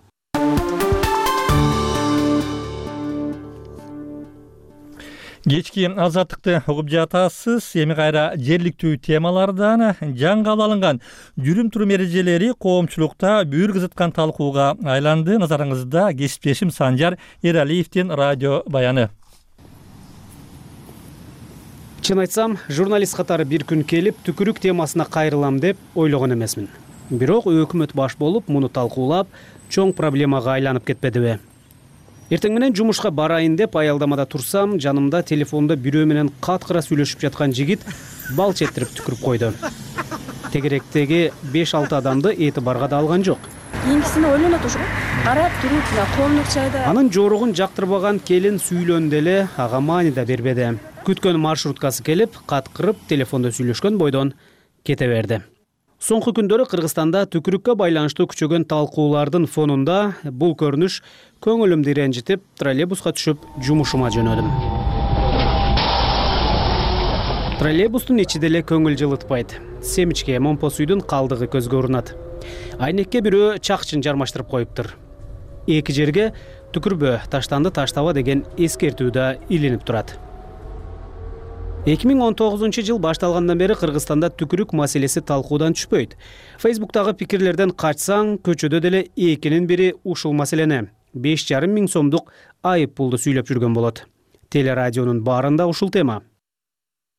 Кечки азаттыкты угуп жатасыз. Эми кайра жергиликтүү темалардан жаңы кабыл алынган жүрүм-турум эрежелери коомчулукта бүйүр кызыткан талкууга айланды. Назарыңызда кесиптешим Санжар Эралиевдин радио баяны. Чын айтсам, журналист катары бир күн келип, түкүрүк темасына кайрылам деп ойлогон эмесмин. Бирок өкмөт баш болуп, муну талкуулап, чоң проблемага айланып кетпедиби? Эртең менен жумушка барайын деп аялдамада турсам, жанымда телефондо бирөө менен каткыра сүйлөшүп жаткан жигит бал четтирип түкүрүп койду. Тегеректеги 5-6 адамды этибарга да алган жок. Кийинкисине ойлонот ошо. Карап туруп, коомдук чайда. Анын жорогун жактырбаган келин сүйлөндү эле, ага маани да бербеди. Күткөн маршруткасы келип, каткырып, телефондо сүйлөшкөн бойдон кете берди. Соңку күндөрү Кыргызстанда түкүрүккө байланыштуу күчөгөн талкуулардын фонунда бул көрүнүш көңүлүмдү ренжитип, троллейбуска түшүп, жумушума жөнөдүм. Троллейбустун ичи деле көңүл жылытпайт. Семичке момпо сүйдүн калдыгы көзгө урунат. Айнекке бирөө чакчын жармаштырып коюптур. Эки жерге түкүрбө, таштанды таштаба деген эскертүү да илинип турат. 2019 жыл башталгандан бери Кыргызстанда түкүрүк маселеси талкуудан түшпөйт. Фейсбуктагы пикирлерден качсаң, көчөдө деле экинин бири ушул маселени 5,5 миң сомдук айып пулду сүйлөп жүргөн болот. Телерадионун баарында ушул тема.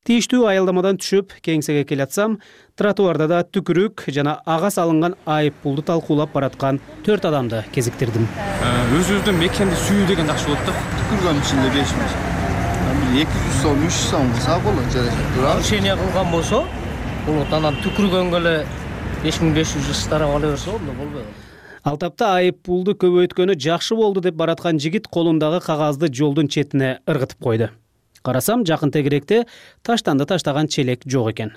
Тийиштүү аялдамадан түшүп, кеңсеге келатсам, тротуарда да түкүрүк жана ага салынган айып пулду талкуулап бараткан 4 адамды кезиктирдим. Өзүбүздүн мекенди сүйүү деген жакшы болот да. Түкүргөн ичинде 5 миң. 200 сом, 300 сом кылса болот, жарашат турат. Нарушение кылган болсо, бул анан түкүргөнгө эле 5500 старап ала берсе болбойт. Ал тапта айып пулду көбөйткөнү жакшы болду деп бараткан жигит колундагы кагазды жолдун четине ыргытып койду. Карасам, жакын тегеректе таштанды таштаган челек жок экен.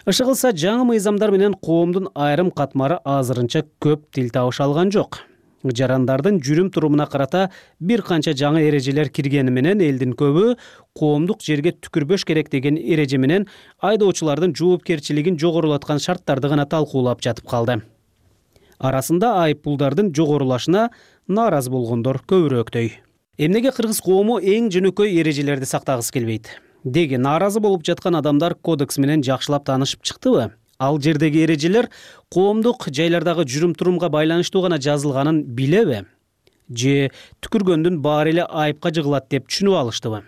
Иши кылса, жаңы мыйзамдар менен коомдун айрым катмары азырынча көп тил табыша алган жок. Жарандардын жүрүм-турумуна карата бир канча жаңы эрежелер киргени менен элдин көбү коомдук жерге түкүрбөш керек деген эреже менен айдоочулардын жоопкерчилигин жогорулаткан шарттарды гана талкуулап жатып калды. Арасында айып пулдардын жогорулашына нааразы болгондор көбүрөөктөй. Эмнеге кыргыз коому эң жөнөкөй эрежелерди сактагысы келбейт? Деги нааразы болуп жаткан адамдар кодекс менен жакшылап таанышып чыктыбы? Ал жердеги эрежелер коомдук жайлардагы жүрүм-турумга байланыштуу гана жазылганын билеби? же түкүргөндүн баары эле айыпка жыгылат деп түшүнүп алыштыбы?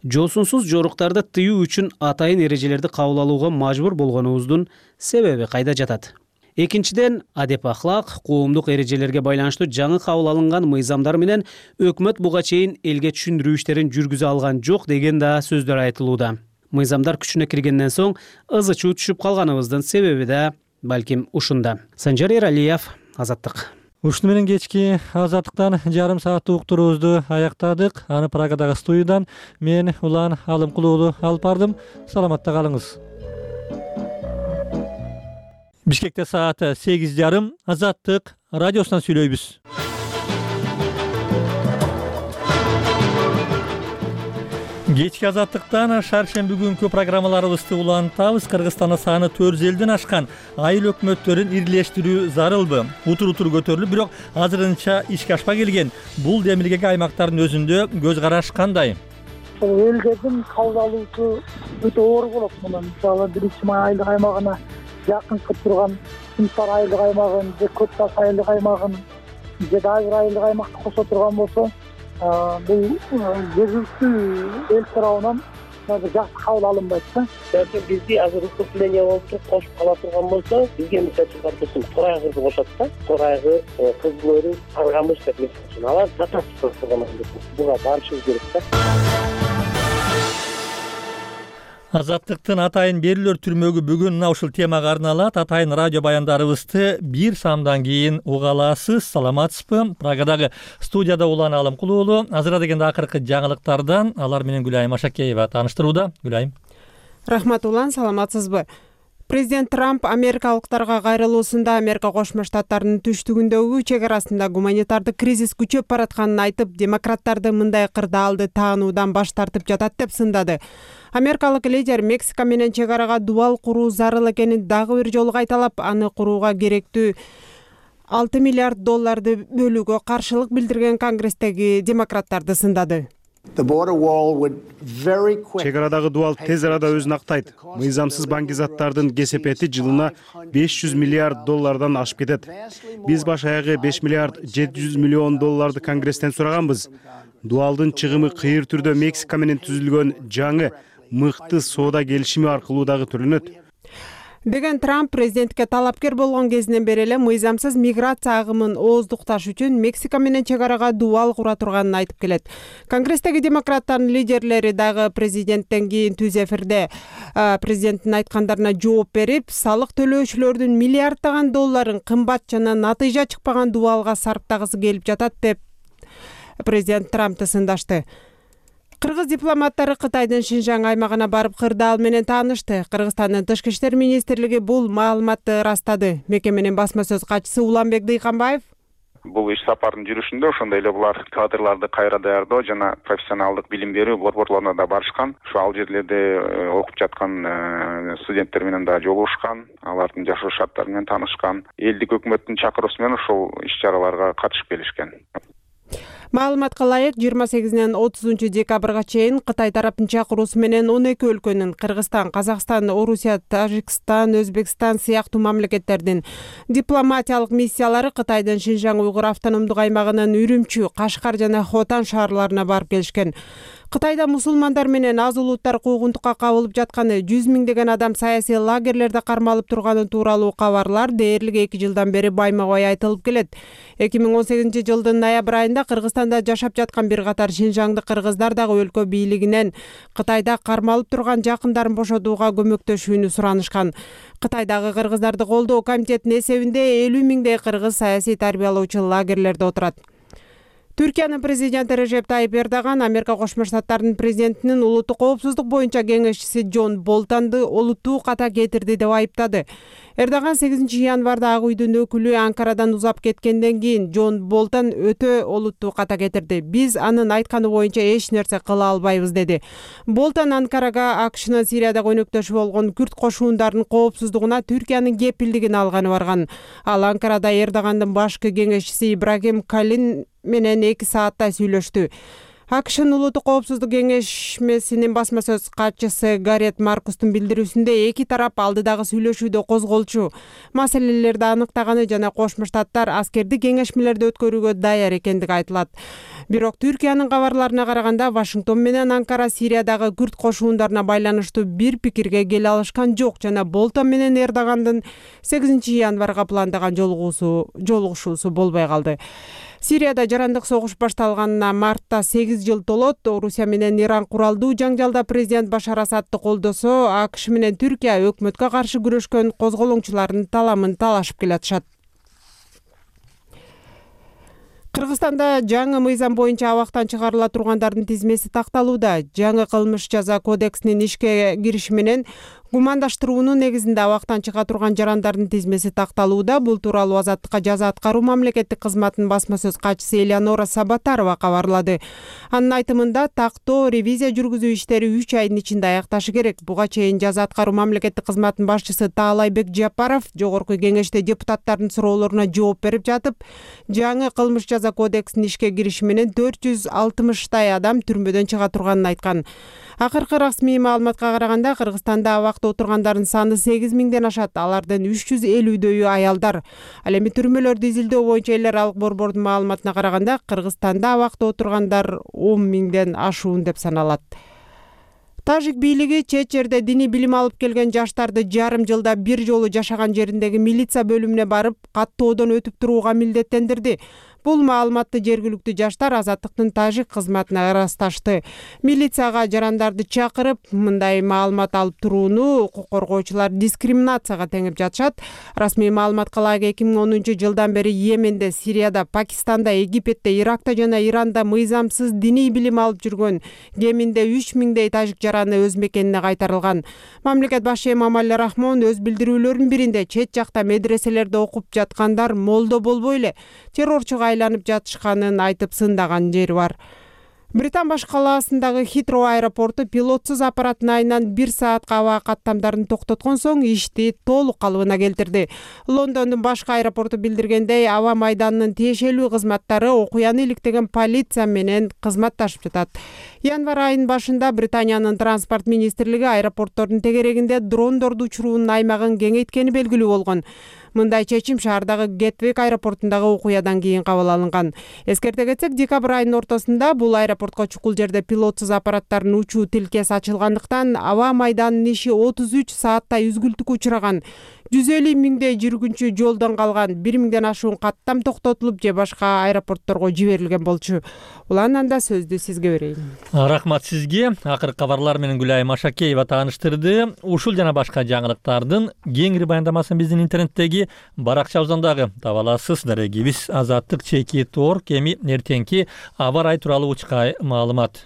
Жосунсуз жоруктарды тыюу үчүн атайын эрежелерди кабыл алууга мажбур болгонубуздун себеби кайда жатат? Экинчиден, адеп ахлак, коомдук эрежелерге байланыштуу жаңы кабыл алынган мыйзамдар менен өкмөт буга чейин элге түшүндүрүү иштерин жүргүзө алган жок деген да сөздөр айтылууда. Мыйзамдар күчүнө киргенден соң ызы чуу түшүп калганыбыздын себеби да балким ушунда. Санжар Эралиев, Азаттык. Ушуну менен кечки Азаттыктан жарым сааттык уктуруубузду аяктадык. Аны Прагадагы студиядан мен Улан Алымкулуулу алып бардым. Саламатта калыңыз. Бишкекте сааты 8:30. Азаттык радиосунан сүйлөйбүз. Кечки Азаттыктан шаршемби күнкү программаларыбызды улантабыз. Кыргызстанда саны 400 элден ашкан айыл өкмөттөрүн ирилештирүү зарылбы? Утур көтөрүлүп, бирок азырынча ишке ашпай келген. Бул демилгеге аймактардын өзүндө көз караш кандай? Элдердин кабыл алуусу өтө оор болот. Мисалы, биринчи айылдык аймагына жакын кылып турган Сымсар айылдык аймагын, же Көк Таш айылдык аймагын, же дагы бир айылдык аймакты кошо турган болсо, бул жергиликтүү эл тарабынан жакшы кабыл алынбайт да. Бизди азыр укупление болуп кошуп кала турган болсо, бизге мисалы Тор айгырды кошот да. Тор айгыр, Кызыл өрүк, Аргамыш деп мисалы. Алар жатат турган. Буга барышыбыз керек да. Азаттыктын атайын берүүлөр түрмөгү бүгүн мына ушул темага арналат. Атайын радио баяндарыбызды бир самдан кийин уга аласыз. Саламатсызбы? Прагадагы студияда Улан Алымкулуулу. Азыр дегенде акыркы жаңылыктардан алар менен Гүлайым Ашакеева тааныштырууда. Гүлайым. Рахмат Улан, саламатсызбы? Президент Трамп америкалыктарга кайрылуусунда Америка Кошмо Штаттарынын түштүгүндөгү чек арасында гуманитардык кризис күчөп баратканын айтып, демократтарды мындай кырдаалды таануудан баш тартып жатат деп сындады. Америкалык лидер Мексика менен чек арага дубал куруу зарыл экенин дагы бир жолу кайталап, аны курууга керектүү $6 миллиард бөлүүгө каршылык билдирген Конгресстеги демократтарды сындады. Чек арадагы дубал тез арада өзүн актайт. Мыйзамсыз баңгизаттардын кесепети жылына $500 миллиард ашып кетет. Биз баш аягы $5 миллиард 700 миллион Конгресстен сураганбыз. Дубалдын чыгымы кыйыр түрдө Мексика менен түзүлгөн жаңы мыкты соода келишими аркылуу дагы төлөнөт деген Трамп президентке талапкер болгон кезинен бери эле мыйзамсыз миграция агымын ооздукташ үчүн Мексика менен чек арага дубал кура турганын айтып келет. Конгресстеги демократтардын лидерлери дагы президенттен кийин түз эфирде президенттин айткандарына жооп берип, салык төлөөчүлөрдүн миллиарддаган долларын кымбат жана натыйжа чыкпаган дубалга сарптагысы келип жатат деп президент Трампты сындашты. Кыргыз дипломаттары Кытайдын Шинжаң аймагына барып кырдаал менен таанышты. Кыргызстандын Тышкы иштер министрлиги бул маалыматты ырастады. Мекеменин басма сөз катчысы Уланбек Дыйканбаев бул иш сапардын жүрүшүндө ошондой эле булар кадрларды кайра даярдоо жана профессионалдык билим берүү борборлоруна да барышкан. Ошо ал жерлерде окуп жаткан студенттер менен да жолугушкан, алардын жашоо шарттары менен таанышкан. Элдик өкмөттүн чакыруусу менен ошол иш-чараларга катышып келишкен. Маалыматка ылайык 28-нен 30 декабрга чейин Кытай тараптын чакыруусу менен 12 өлкөнүн Кыргызстан, Казакстан, Орусия, Тажикстан, Өзбекстан сыяктуу мамлекеттердин дипломатиялык миссиялары Кытайдын Шинжаң уйгур автономдук аймагынын Үрүмчү, Кашкар жана Хотан шаарларына барып келишкен. Кытайда мусулмандар менен аз улуттар куугунтукка кабылып жатканы, 100 миңдеген адам саясий лагерлерде кармалып турганы тууралуу кабарлар дээрлик 2 жылдан бери байма-бай айтылып келет. 2018 жылдын ноябрь айында Кыргызстанда жашап жаткан бир катар Шинжаңдык кыргыздар дагы өлкө бийлигинен Кытайда кармалып турган жакындарын бошотууга көмөктөшүүнү суранышкан. Кытайдагы кыргыздарды колдоо комитетинин эсебинде 50 миңдей кыргыз саясий тарбиялоочу лагерлерде отурат. Түркиянын президенти Режеп Тайип Эрдоган Америка Кошмо Штаттарынын президентинин улуттук коопсуздук боюнча кеңешчиси Джон Болтонду олуттуу ката кетирди деп айыптады. Эрдоган 8 январда Ак үйдүн өкүлү Анкарадан узап кеткенден кийин Джон Болтон өтө олуттуу ката кетирди. Биз анын айтканы боюнча эч нерсе кыла албайбыз деди. Болтон Анкарага АКШнын Сирияда өнөктөшү болгон күрд кошуундарынын коопсуздугуна Түркиянын кепилдигин алганы барган. Ал Анкарада Эрдогандын башкы кеңешчиси Ибрагим Калин менен 2 сааттай сүйлөштү. АКШнын улуттук коопсуздук кеңешмесинин басма сөз катчысы Гарет Маркустун билдирүүсүндө эки тарап алдыдагы сүйлөшүүдө козголчу маселелерди аныктаганы жана Кошмо Штаттар аскердик кеңешмелерди өткөрүүгө даяр экендиги айтылат. Бирок Түркиянын кабарларына караганда Вашингтон менен Анкара Сириядагы күрд кошуундарына байланыштуу бир пикирге келе алышкан жок жана Болтон менен Эрдогандын 8 январга пландаган жолугушуусу болбой калды. Сирияда жарандык согуш башталганына мартта 8 жыл толот. Орусия менен Иран куралдуу жаңжалда президент Башар Асадты колдосо, АКШ менен Түркия өкмөткө каршы күрөшкөн козголоңчулардын таламын талашып келатышат. Кыргызстанда жаңы мыйзам боюнча абактан чыгарыла тургандардын тизмеси такталууда. Жаңы кылмыш жаза кодексинин ишке кириши менен гумандаштыруунун негизинде абактан чыга турган жарандардын тизмеси такталууда. Бул тууралуу Азаттыкка жаза аткаруу мамлекеттик кызматынын басма сөз катчысы Элеонора Сабатарова кабарлады. Анын айтымында тактоо ревизия жүргүзүү иштери 3 айдын ичинде аякташы керек. Буга чейин жаза аткаруу мамлекеттик кызматынын башчысы Таалайбек Жапаров жогорку кеңеште депутаттардын суроолоруна жооп берип жатып, жаңы кылмыш жаза кодексинин ишке кириши менен 460 адам түрмөдөн чыга турганын айткан. Акыркы расмий маалыматка караганда Кыргызстанда абакта отургандардын саны 8000ден ашат. Алардын 350дөйү аялдар. Ал эми түрмөлөрдү изилдөө боюнча эл аралык борбордун маалыматына караганда Кыргызстанда абакта отургандар 10.000ден ашуун деп саналат. Тажик бийлиги чет жерде диний билим алып келген жаштарды жарым жылда бир жолу жашаган жериндеги милиция бөлүмүнө барып каттоодон өтүп турууга милдеттендирди. Бул маалыматты жергиликтүү жаштар Азаттыктын тажик кызматына ырасташты. Милицияга жарандарды чакырып, мындай маалымат алып турууну укук коргоочулар дискриминацияга теңип жатышат. Расмий маалыматка ылайык 2010 жылдан бери Йеменде, Сирияда, Пакистанда, Египетте, Иракта жана Иранда мыйзамсыз диний билим алып жүргөн кеминде 3000дей тажик жараны өз мекенине кайтарылган. Мамлекет башы Эмомали Рахмон өз билдирүүлөрүнүн биринде чет жакта медреселерде окуп жаткандар молдо болбой эле террорчуга айланып жатышканын айтып сындаган жери бар. Британ баш калаасындагы Хитроу аэропорту пилотсуз аппараттын айынан 1 саатка аба каттамдарын токтоткон соң ишти толук калыбына келтирди. Лондондун башкы аэропорту билдиргендей, аба майданынын тиешелүү кызматтары окуяны иликтеген полиция менен кызматташып жатат. Январь айынын башында Британиянын транспорт министрлиги аэропорттордун тегерегинде дрондорду учуруунун аймагын кеңейткени белгилүү болгон. Мындай чечим шаардагы Гетвик аэропортундагы окуядан кийин кабыл алынган. Эскерте кетсек, декабрь айынын ортосунда бул аэропортко чукул жерде пилотсуз аппараттардын учуу тилкеси ачылгандыктан аба майданынын иши 33 сааттай үзгүлтүккө учураган. 150 миңдей жүргүнчү жолдон калган, 1000ден ашуун каттам токтотулуп же башка аэропортторго жиберилген болчу. Уланан да сөздү сизге берейин. Рахмат сизге. Акыркы кабарлар менен Гүлайым Машакеева тааныштырды. Ушул жана башка жаңылыктардын кеңири баяндамасын биздин интернеттеги баракчабыздан дагы таба аласыз. Дарегибиз azattyk.org. Эми эртеңки аба ырайы тууралуу учка маалымат.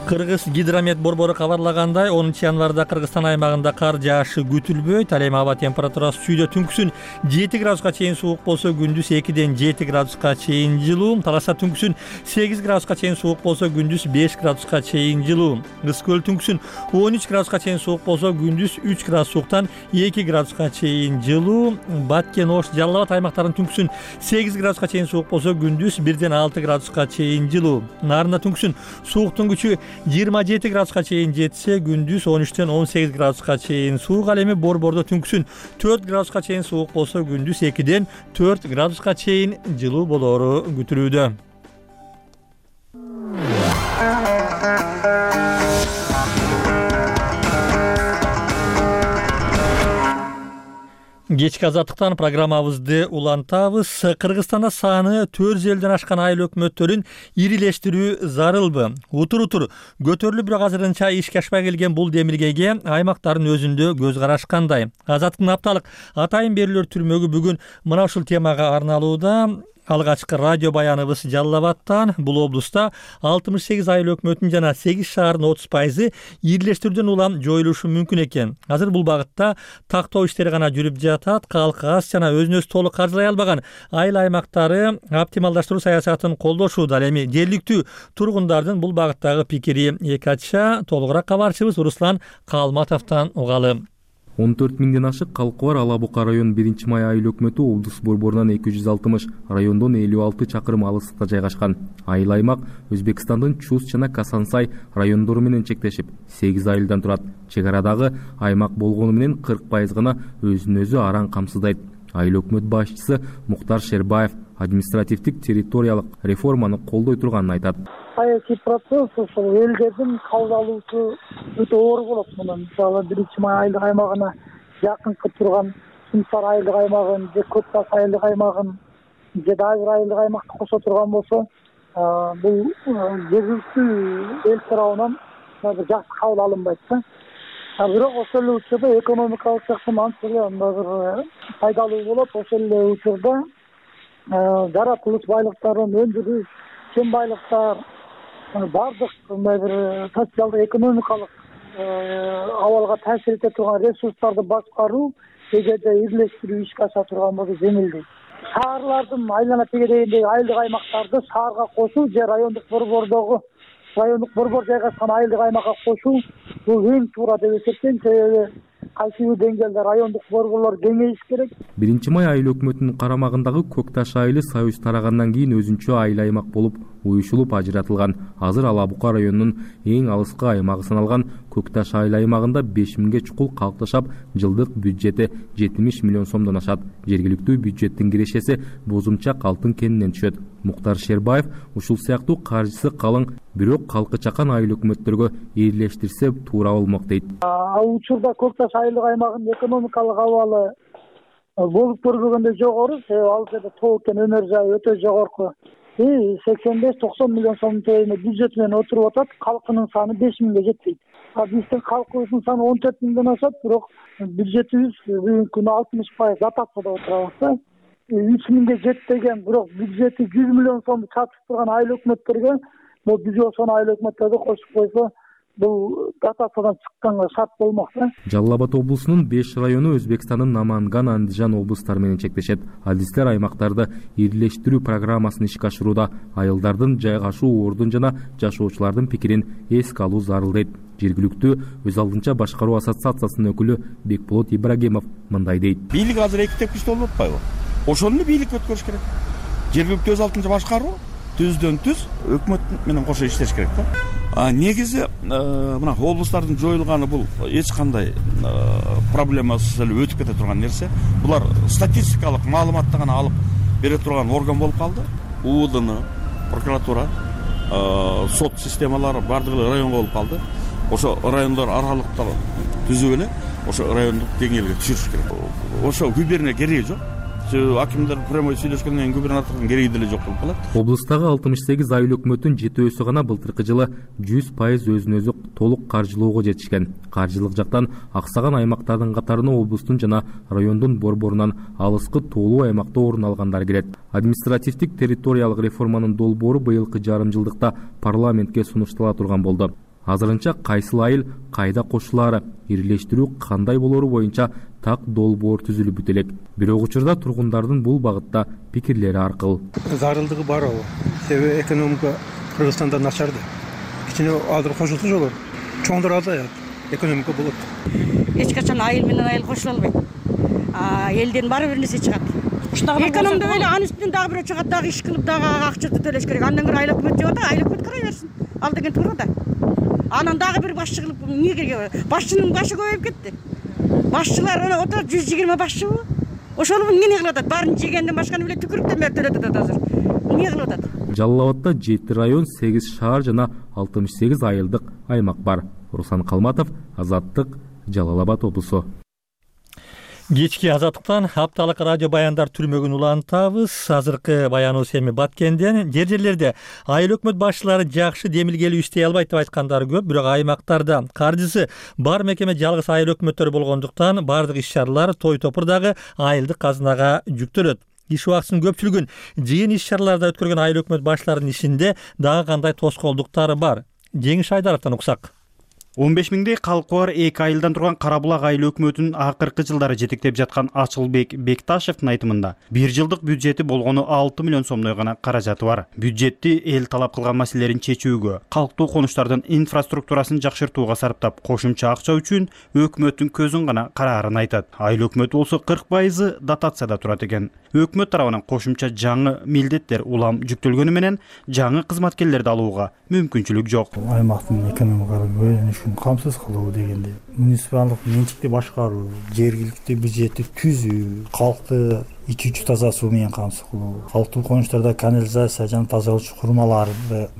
Кыргыз гидромет борбору кабарлагандай, 10 январда Кыргызстан аймагында кар жаашы күтүлбөйт. Ал эми аба температурасы сүйдө түнкүсүн 7 градуска чейин суук болсо, күндүз 2ден 7 градуска чейин жылуу. Талашта түнкүсүн 8 градуска чейин суук болсо, күндүз 5 градуска чейин жылуу. Кыз көл түнкүсүн 13 градуска чейин суук болсо, күндүз 3 градус сууктан 2 градуска чейин жылуу. Баткен, Ош, Жалал Абад аймактарынын түнкүсүн 8 градуска чейин суук болсо, күндүз 1ден 6 градуска чейин жылуу. Нарында түнкүсүн сууктун күчү 27 градуска чейин жетсе, күндүз 13ден 18 градуска чейин суук. Ал эми борбордо түнкүсүн 4 градуска чейин суук болсо, күндүз 2ден 4 градуска чейин жылуу болору күтүлүүдө. Кечки азаттыктан программабызды улантабыз. Кыргызстанда саны 400ден ашкан айыл өкмөттөрүн ирилештирүү зарылбы? Утур көтөрүлүп, бирок азырынча ишке ашпай келген бул демилгеге аймактардын өзүндө көз караш кандай? Азаттыктын апталык атайын берүүлөр түрмөгү бүгүн мына ушул темага арналууда. Алгачкы радио баяныбыз Жалал Абадтан. Бул облуста 68 айыл өкмөтүн жана 8 шаардын 30% ирилештирүүдөн улам жоюлушу мүмкүн экен. Азыр бул багытта тактоо иштери гана жүрүп жатат. Калк аз жана өзүн өзү толук каржылай албаган айыл аймактары оптималдаштыруу саясатын колдошууда. Ал эми жергиликтүү тургундардын бул багыттагы пикири эки ача. Толугураак кабарчыбыз Руслан Калматовдон угалы. 14 000ден ашык калкы бар Ала Бука район 1-май айыл өкмөтү облус борборунан 260, райондон 56 чакырым алыстыкта жайгашкан. Айыл аймак Өзбекстандын Чус жана Касансай райондору менен чектешип, 8 айылдан турат. Чек арадагы аймак болгону менен 40% гана өзүн өзү араң камсыздайт. Айыл өкмөт башчысы Муктар Шербаев административдик территориялык реформаны колдой турганын айтат. Саясий процесс ошол элдердин кабыл алуусу өтө оор болот. Мына мисалы 1-май айылдык аймагына жакынкы турган Сымсар айылдык аймагын же Көк Таш айылдык аймагын же дагы бир айылдык аймакты кошо турган болсо, бул жергиликтүү эл тарабынан бир жакшы кабыл алынбайт да. Бирок ошол эле учурда экономикалык жактан анча бир пайдалуу болот. Ошол эле учурда жаратылыш байлыктарын өндүрүү, кен байлыктар, бардык мындай бир социалдык экономикалык абалга таасир эте турган ресурстарды башкаруу, эгерде бирлештирүү ишке аша турган болсо жеңилдейт. Шаарлардын айлана тегерегиндеги айылдык аймактарды шаарга кошуу же райондук борбор жайгашкан айылдык аймакка кошуу бул эң туура деп эсептейм. Себеби кайсы бир деңгээлде райондук борборлор кеңейиш керек. 1-май айыл өкмөтүнүн карамагындагы Көк Таш айылы Союз тарагандан кийин өзүнчө айыл аймак болуп уюшулуп ажыратылган. Азыр Ала Бука районунун эң алыскы аймагы саналган Көк Таш айыл аймагында 5000ге чукул калк жашап, жылдык бюджети 70 миллион сомдон ашат. Жергиликтүү бюджеттин кирешеси Бозумчак алтын кенинен түшөт. Муктар Шербаев ушул сыяктуу каржысы калың, бирок калкы чакан айыл өкмөттөргө ээлештирсе туура болмок дейт. Учурда Көк Таш айылдык аймагынын экономикалык абалы болуп көрбөгөндөй жогору. Ал жерде тоо кен өнөр жайы өтө жогорку. 85-90 миллион сом бюджет менен отуруп атат. Калкынын саны 5000ге жетпейт. Биздин калкыбыздын саны 14 миңден ашат, бирок бюджетибиз бүгүнкү күнү 60% дотацияда отурабыз. 3000ге жетпеген, бирок бюджети 100 миллион сом чатып турган айыл өкмөттөргө бул биз ошол айыл өкмөттөрдү кошуп койсо, бул дотациядан чыкканга шарт болмок да. Жалал Абад облусунун 5 району Өзбекстандын Наманган, Андижан облустары менен чектешет. Адистер аймактарды ирлештирүү программасын ишке ашырууда айылдардын жайгашуу ордун жана жашоочулардын пикирин эске алуу зарыл дейт. Жергиликтүү өз алдынча башкаруу ассоциациясынын өкүлү Бекболот Ибрагимов мындай дейт. Бийлик азыр эки тепкичте болуп атпайбы? Ошону бийлик өткөрүш керек. Жергиликтүү өз алдынча башкаруу түздөн түз өкмөт менен кошо иштеш керек да. Негизи мына облустардын жоюлганы бул эч кандай проблемасыз эле өтүп кете турган нерсе. Булар статистикалык маалыматты гана алып бере турган орган болуп калды. УУДН, прокуратура, сот системалары бардыгы районго болуп калды. Ошо райондор аралыкта түзүп эле ошо райондук деңгээлге түшүрүш керек. Ошо губерния кереги жок. Акимдер прямой сүйлөшкөндөн кийин губернатордун кереги деле жок болуп калат. Облустагы 68 айыл өкмөтүнүн 7 гана былтыркы жылы 100% өзүн өзү толук каржылоого жетишкен. Каржылык жактан аксаган аймактардын катарына облустун жана райондун борборунан алыскы тоолуу аймакта орун алгандар кирет. Административдик территориялык реформанын долбоору быйылкы жарым жылдыкта парламентке сунуштала турган болду. Азырынча кайсыл айыл кайда кошулаары, ирлештирүү кандай болору боюнча так долбоор түзүлүп бүт элек. Бирок учурда тургундардын бул багытта пикирлери аркыл. Зарылдыгы бар ал. Себеби экономика Кыргызстанда начарды. Кичине азыр кошулса жолор. Чоңдор азаят. Экономика болот. Эч качан айыл менен айыл кошула албайт. Элден баары бир нерсе чыгат. Экономда эле анын үстүнөн дагы бирөө чыгат, дагы иш кылып, дагы акчасы төлөш керек. Андан көрө айыл өкмөт жеп атат, айыл өкмөт карай берсин. Ал деген туура да. Анан дагы бир башчы кылып эмне керек? Башчынын башы көбөйүп кетти. Башчылар отур 120 башчыбы? Ошол эмне кылып атат? Баарын жегенден башканы биле түкүрүктөн төлөп атат азыр. Эмне кылып атат? Жалал Абадда 7 район, 8 шаар жана 68 айылдык аймак бар. Руслан Калматов, Азаттык, Жалал Абад облусу. Кечки Азаттыктан апталык радио баяндар түрмөгүн улантабыз. Азыркы баяныбыз эми Баткенден. Жер-жерлерде айыл өкмөт башчылары жакшы демилгелүү иштей албайт деп айткандары көп, бирок аймактарда каржысы бар мекеме жалгыз айыл өкмөттөр болгондуктан бардык иш-чаралар той-топурдагы айылдык казынага жүктөлөт. Иш убактысынын көпчүлүгүн жыйын иш-чараларда өткөргөн айыл өкмөт башчыларынын ишинде дагы кандай тоскоолдуктары бар? Жеңиш Айдаровдон уксак. 15 миңдей калкы бар 2 айылдан турган Кара Булак айыл өкмөтүнүн акыркы жылдары жетектеп жаткан Ачылбек Бекташевдин айтымында 1 жылдык бюджети болгону 6 миллион сомдой гана каражаты бар. Бюджетти эл талап кылган маселелерин чечүүгө, калктуу конуштардын инфраструктурасын жакшыртууга сарптап, кошумча акча үчүн өкмөттүн көзүн гана караарын айтат. Айыл өкмөтү болсо 40% дотацияда турат экен. Өкмөт тарабынан кошумча жаңы милдеттер улам жүктөлгөнү менен жаңы кызматкерлерди алууга мүмкүнчүлүк жок. Аймактын экономикалык бөлүнүшүн камсыз кылуу дегенде муниципалдык менчикти башкаруу, жергиликтүү бюджетти түзүү, калкты ичүүчү таза суу менен камсыз кылуу, калктуу конуштарда канализация жана тазалоочу курмаларды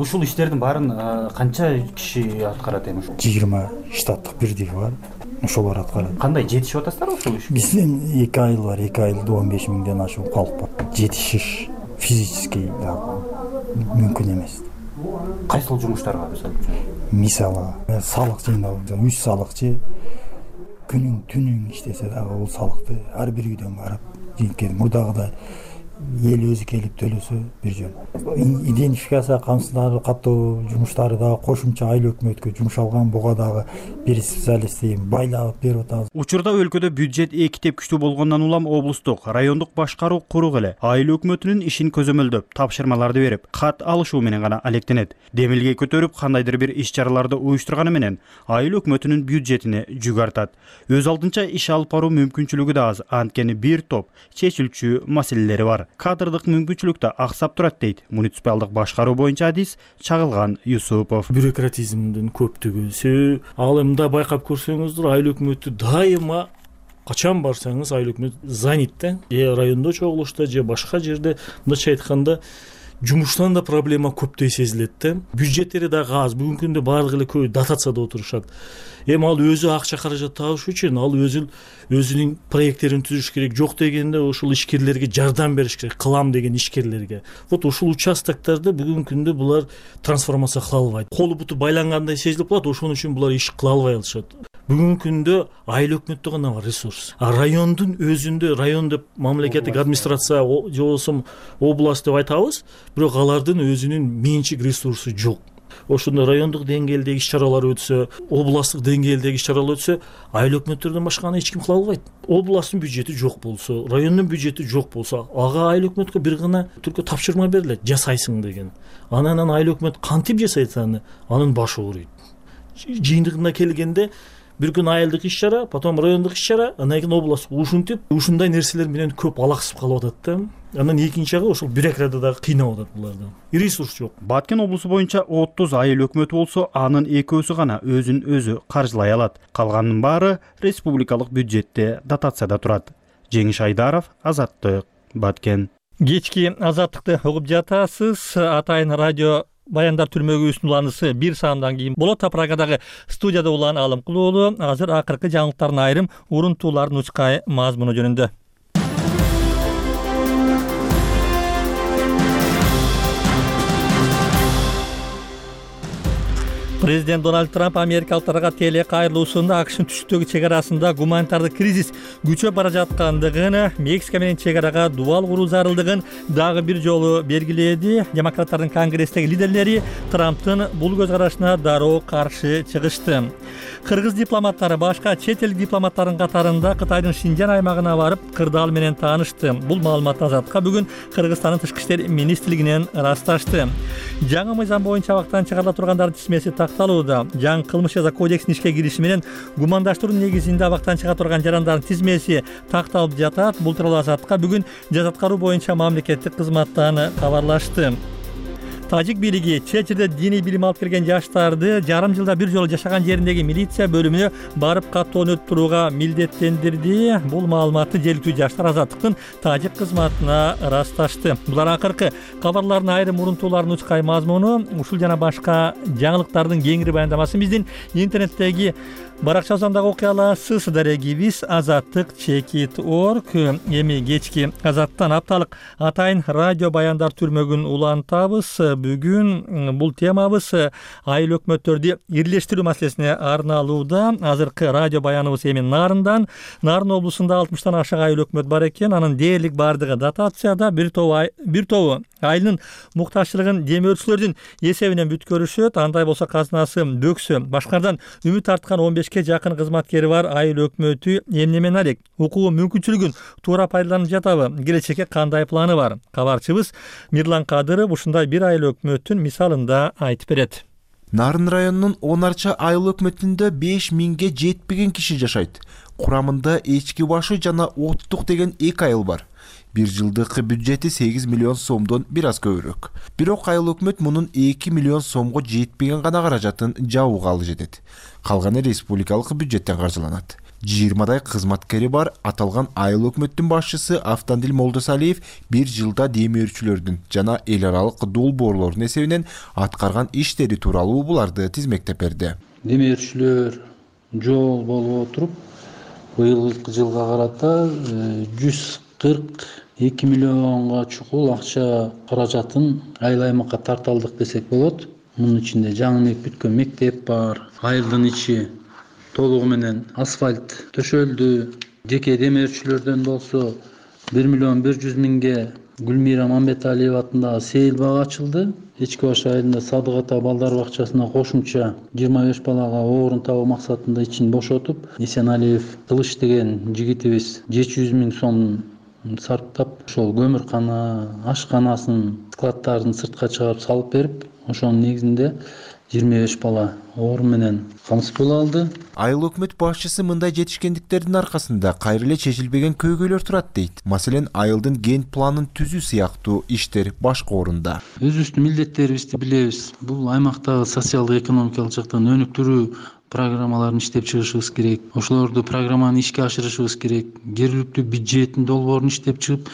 ушул иштердин баарын канча киши аткарат эми? 20 штаттык бирдиги бар. Ошолор аткарат. Кандай жетишип атасыздар ошол ишке? Бизден 2 айыл бар, 2 айылда 15 миңден ашуун калк бар. Жетишиш физически мүмкүн эмес. Кайсыл жумуштарга мисалы салык жыйноо, 3 салыкчы күнүң түнүң иштесе дагы бул салыкты ар бир үйдөн барып жыйып мурдагыдай эл өзү келип төлөсө бир жөн. Идентификация камсыздары каттоо жумуштары дагы кошумча айыл өкмөткө жумшалган, буга дагы бир специалистти байлап берип атабыз. Учурда өлкөдө бюджет эки тепкичтүү болгондон улам облустук, райондук башкаруу курук эле айыл өкмөтүнүн ишин көзөмөлдөп, тапшырмаларды берип, кат алышуу менен гана алектенет. Демилге көтөрүп, кандайдыр бир иш-чараларды уюштурганы менен айыл өкмөтүнүн бюджетине жүк артат. Өз алдынча иш алып баруу мүмкүнчүлүгү да аз, анткени бир топ чечилчү маселелери бар. Кадрдык мүмкүнчүлүк да аксап турат дейт муниципалдык башкаруу боюнча адис Чагылган Юсупов. Бюрократизмдин көптүгү, ал эмне байкап көрсөңүздөр, айыл өкмөтү дайыма качан барсаңыз айыл өкмөт занят да. Райондо чогулушта же башка жерде, мындайча айтканда, жумуштан да проблема көптөй сезилет да. Бюджеттери дагы аз. Бүгүнкү күндө баардык эле көбү дотацияда отурушат. Эми ал өзү акча каражат табыш үчүн ал өзүнүн проекттерин түзүш керек. Жок дегенде ошол ишкерлерге жардам бериш керек, кылам деген ишкерлерге. Вот ушул участоктарда бүгүнкү күндө булар трансформация кыла албайт. Колу буту байлангандай сезилип калат, ошон үчүн булар иш кыла албай алышат. Бүгүнкү күндө айыл өкмөттө гана бар ресурс. Райондун өзүндө, район деп мамлекеттик администрация же болсо область деп айтабыз, бирок алардын өзүнүн менчик ресурсу жок. Ошондо райондук деңгээлдеги иш-чаралар өтсө, областтык деңгээлдеги иш-чаралар өтсө, айыл өкмөттөрдөн башканы эч ким кыла албайт. Областтын бюджети жок болсо, райондун бюджети жок болсо, ага айыл өкмөткө бир гана түркө тапшырма берилет, жасайсың деген. Анан айыл өкмөт кантип жасайт аны? Анын башы ооруйт. Жыйынтыгына келгенде бир күн айылдык иш-чара, потом райондук иш-чара, андан кийин область ушинтип, ушундай нерселер менен көп алаксып калып атат да. Анан экинчи жагы ошол бюрократия дагы кыйнап атат буларды. Ресурс жок. Баткен облусу боюнча 30 айыл өкмөтү болсо, анын экөөсү гана өзүн өзү каржылай алат. Калганынын баары республикалык бюджетте дотацияда турат. Жеңиш Айдаров, Азаттык, Баткен. Кечки Азаттыкты угуп жатасыз. Атайын радио Баяндар түрмөгүбүздүн уланысы 1 саамдан кийин болот. Прагадагы студияда Улан Алымкулуу уулу азыр акыркы жаңылыктардын айрым урунтууларын учкай мазмуну жөнүндө. Президент Дональд Трамп америкалыктарга теле кайрылуусунда АКШнын түштүктөгү чек арасында гуманитардык кризис күчөп бара жаткандыгын, Мексика менен чек арага дубал куруу зарылдыгын дагы бир жолу белгиледи. Демократтардын конгресстеги лидерлери Трамптын бул көз карашына дароо каршы чыгышты. Кыргыз дипломаттары башка чет эл дипломаттарынын катарында Кытайдын Шинжан аймагына барып, кырдаал менен таанышты. Бул маалыматты Азаттыкка бүгүн Кыргызстандын тышкы иштер министрлигинен ырасташты. Жаңы мыйзам боюнча абактан чыгарыла тургандардын тизмеси такталууда. Жаңы кылмыш жаза кодексинин ишке кириши менен гумандаштыруу негизинде абактан чыга турган жарандардын тизмеси такталып жатат. Бул тууралуу Азаттыкка бүгүн жаза аткаруу боюнча мамлекеттик кызматтан кабарлашты. Тажик бийлиги чет жерде диний билим алып келген жаштарды жарым жылда бир жолу жашаган жериндеги милиция бөлүмүнө барып каттоон өтүп турууга милдеттендирди. Бул маалыматты жергиликтүү жаштар Азаттыктын тажик кызматына ырасташты. Булар акыркы кабарлардын айрым урунтууларын учкай мазмуну. Ушул жана башка жаңылыктардын кеңири баяндамасын биздин интернеттеги баракчабыздан дагы окуй аласыз. Дарегибиз azattik.org. Эми кечки Азаттан апталык атайын радио Баяндар түрмөгүн улантабыз. Бүгүн бул темабыз айыл өкмөттөрдү ирлештирүү маселесине арналууда. Азыркы радио баяныбыз эми Нарындан. Нарын облусунда 60тан ашык айыл өкмөт бар экен. Анын дээрлик бардыгы дотацияда, бир тобу айылдын муктажчылыгын демөөрчүлөрдүн эсебинен бүткөрүшөт. Андай болсо казынасы бөксө. Башкардан үмүт арткан 15ке жакын кызматкери бар айыл өкмөтү эмне менен алек? Укугу мүмкүнчүлүгүн туура пайдаланып жатабы? Келечекке кандай планы бар? Кабарчыбыз Мирлан Кадыров ушундай бир айыл өкмөтүн мисалында айтып берет. Нарын районунун 10 арча айыл өкмөтүндө 5000ге жетпеген киши жашайт. Курамында эчки башы жана оттук деген 2 айыл бар. Бир жылдык бюджети 8 миллион сомдон бир аз көбүрөөк. Бирок айыл өкмөт мунун 2 миллион сомго жетпеген гана каражатын жабууга алып жетет. Калганы республикалык бюджеттен каржыланат. 20дай кызматкери бар аталган айыл өкмөттүн башчысы Автандил Молдосалиев бир жылда демөөрчүлөрдүн жана эл аралык долбоорлордун эсебинен аткарган иштери тууралуу буларды тизмектеп берди. Демөөрчүлөр жол болуп отуруп, быйылкы жылга карата 142 миллионго чукул акча каражатын айыл аймакка тарталдык десек болот. Мунун ичинде жаңы бүткөн мектеп бар, айылдын ичи толугу менен асфальт төшөлдү. Жеке демөөрчүлөрдөн болсо 1 миллион 100 миңге Гүлмира Мамбеталиева атындагы сейил бак ачылды. Эчки баш айылында Садык ата балдар бакчасына кошумча 25 балага орун табуу максатында ичин бошотуп, Эсеналиев Кылыч деген жигитибиз 700 миң сом сарптап, ошол көмүркана, ашканасын, складдарын сыртка чыгарып салып берип, ошонун негизинде 25 бала орун менен камсыз боло алды. Айыл өкмөт башчысы мындай жетишкендиктердин аркасында кайра эле чечилбеген көйгөйлөр турат дейт. Маселен, айылдын ген планын түзүү сыяктуу иштер башка орунда. Өзүбүздүн милдеттерибизди билебиз. Бул аймактагы социалдык экономикалык жактан өнүктүрүү программаларын иштеп чыгышыбыз керек. Ошолорду программаны ишке ашырышыбыз керек. Жергиликтүү бюджеттин долбоорун иштеп чыгып,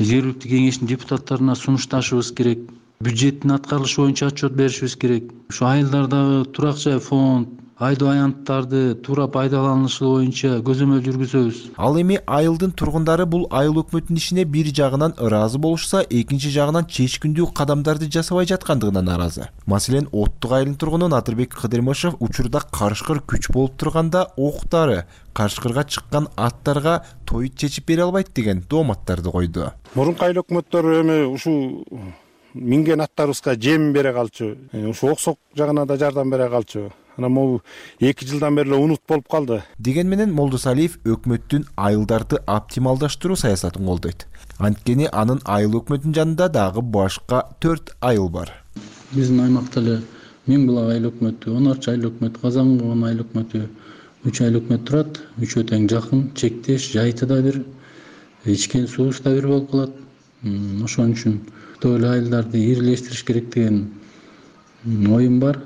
жергиликтүү кеңештин депутаттарына сунушташыбыз керек. Бюджеттин аткарылышы боюнча отчет беришибиз керек. Ушу айылдардагы турак жай фонд, айдоо аянттарды туура пайдаланышы боюнча көзөмөл жүргүзөбүз. Ал эми айылдын тургундары бул айыл өкмөтүнүн ишине бир жагынан ыраазы болушса, экинчи жагынан чечкиндүү кадамдарды жасабай жаткандыгына нааразы. Маселен, Оттук айылынын тургуну Натырбек Кыдырмышев учурда карышкыр күч болуп турганда октары карышкырга чыккан аттарга той чечип бере албайт деген дооматтарды койду. Мурунку айыл өкмөттөр эми ушу минген аттарыбызга жем бере калчу. Ушу оксок жагына да жардам бере калчу. Анан могу 2 жылдан бери унут болуп калды. Деген менен Молдосалиев өкмөттүн айылдарды оптималдаштыруу саясатын колдойт. Анткени анын айыл өкмөтүнүн жанында дагы башка 4 айыл бар. Биздин аймакта эле Миңбулак айыл өкмөтү, 10 арча айыл өкмөтү, Казангон айыл өкмөтү, 3 айыл өкмөт турат. Үчөө тең жакын, чектеш, жайты да бир, ичкен суубуз да бир болуп калат. Ошон үчүн эле айылдарды ирилештириш керек деген оюм бар.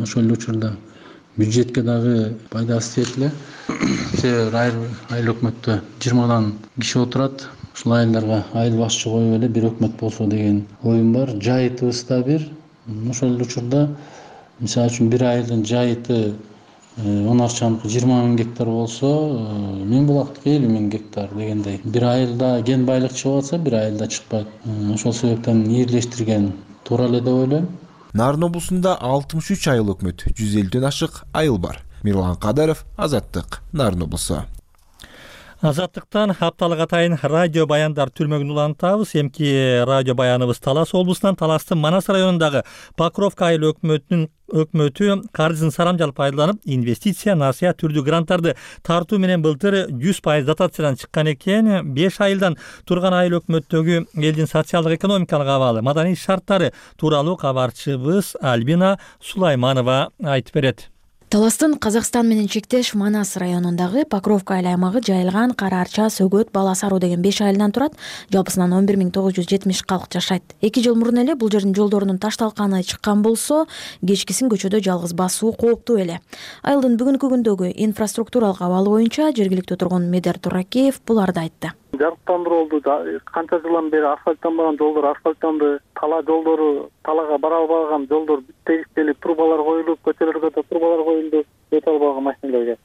Ошол эле учурда бюджетке дагы пайдасы тиет эле. Себеби айыл өкмөттө 20дан киши отурат. Ушул айылдарга айыл башчы коюп эле бир өкмөт болсо деген оюм бар. Жайытыбыз да бир. Ошол эле учурда мисалы үчүн бир айылдын жайыты 10 арчаныкы 20 миң гектар болсо, Миңбулактыкы 50 миң гектар дегендей. Бир айылда ген байлык чыгып атса, бир айылда чыкпайт. Ошол себептен ирилештирген туура эле деп ойлойм. Нарын облусунда 63 айыл өкмөт, 150ден ашык айыл бар. Мирлан Кадаров, Азаттык, Нарын облусу. Азаттыктан апталык атайын радио баяндар түрмөгүн улантабыз. Эмки радио баяныбыз Талас облусунан Таластын Манас районундагы Покровка айыл өкмөтү каржысын сарамжал пайдаланып, инвестиция, насыят түрдүү гранттарды тартуу менен былтыр 100% дотациядан чыккан экен. 5 айылдан турган айыл өкмөттөгү элдин социалдык экономикалык абалы, маданий шарттары тууралуу кабарчыбыз Альбина Сулайманова айтып берет. Таластын Казакстан менен чектеш Манас районундагы Покровка айыл аймагы жайылган Кара Арча, Сөгөт, Баласаруу деген 5 айылдан турат. Жалпысынан 11970 калк жашайт. 2 жыл мурун эле бул жердин жолдорунун ташталканы чыккан болсо, кечкисин көчөдө жалгыз басуу кооптуу эле. Айылдын бүгүнкү күндөгү инфраструктуралык абалы боюнча жергиликтүү тургун Медер Туракеев буларды айтты. Жарыктандыруу болду. Канча жылдан бери асфальттанбаган жолдор асфальттанды. Тала жолдору, талага бара албаган жолдор тегиштелип, трубалар коюлуп, көчөлөргө да трубалар коюлду. Өтө албаган машиналарга.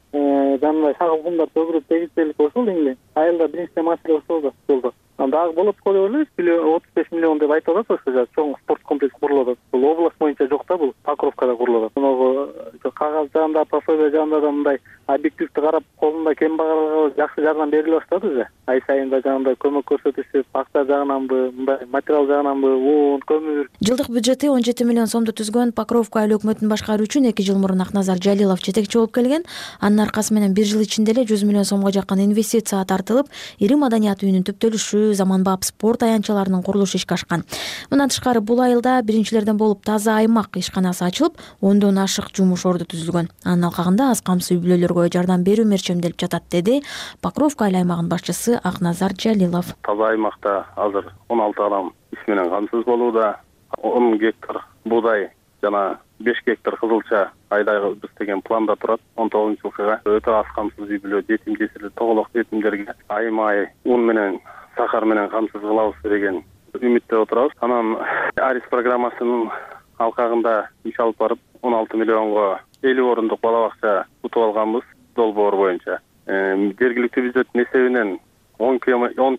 Жанагы шагыл кумдар төгүлүп тегиштелип ошол эле. Айылда биринчи маселе ошол да жолдо. Дагы болот го деп ойлойбуз. 35 миллион деп айтып атат ошо чоң спорт комплекс курулуп атат. Бул область боюнча жок да, бул Покровкада курулуп атат. Мына кагаз жагында, пособие жагында да мындай объективди карап, колунда кембагалга жакшы жардам бериле баштады уже. Ай сайын да жагында көмөк көрсөтүшүп, акча жагынанбы, мындай материал жагынанбы, un, көмүр. Жылдык бюджети 17 миллион сомду түзгөн Покровка айыл өкмөтүн башкаруу үчүн 2 жыл мурун Акназар Жалилов жетекчи болуп келген. Анын аркасы менен 1 жыл ичинде эле 100 миллион сомго жакын инвестиция тартылып, ири маданият үйүнүн түптөлүшү, заманбап спорт аянтчаларынын курулушу ишке ашкан. Мындан тышкары бул айылда биринчилерден болуп таза аймак ишканасы ачылып, 10дон ашык жумуш орду түзүлгөн. Анын алкагында аз камсыз үй бүлөлөргө жардам берүү мерчемделип жатат, деди Покровка айыл аймагынын башчысы Акназар Жалилов. Таза аймакта азыр 16 адам иш менен камсыз болууда. 10 гектар буудай жана 5 гектар кызылча айдайбыз деген планда турат. 19-жылкыга өтө аз камсыз үй бүлө, жетим жесирлер, тоголок жетимдерге айма-ай ун менен сахар менен камсыз кылабыз деген үмүттө отурабыз. Анан Арис программасынын алкагында иш алып барып 16 миллионго 50 орундук бала бакча утуп алганбыз долбоор боюнча. Жергиликтүү бюджеттин эсебинен 10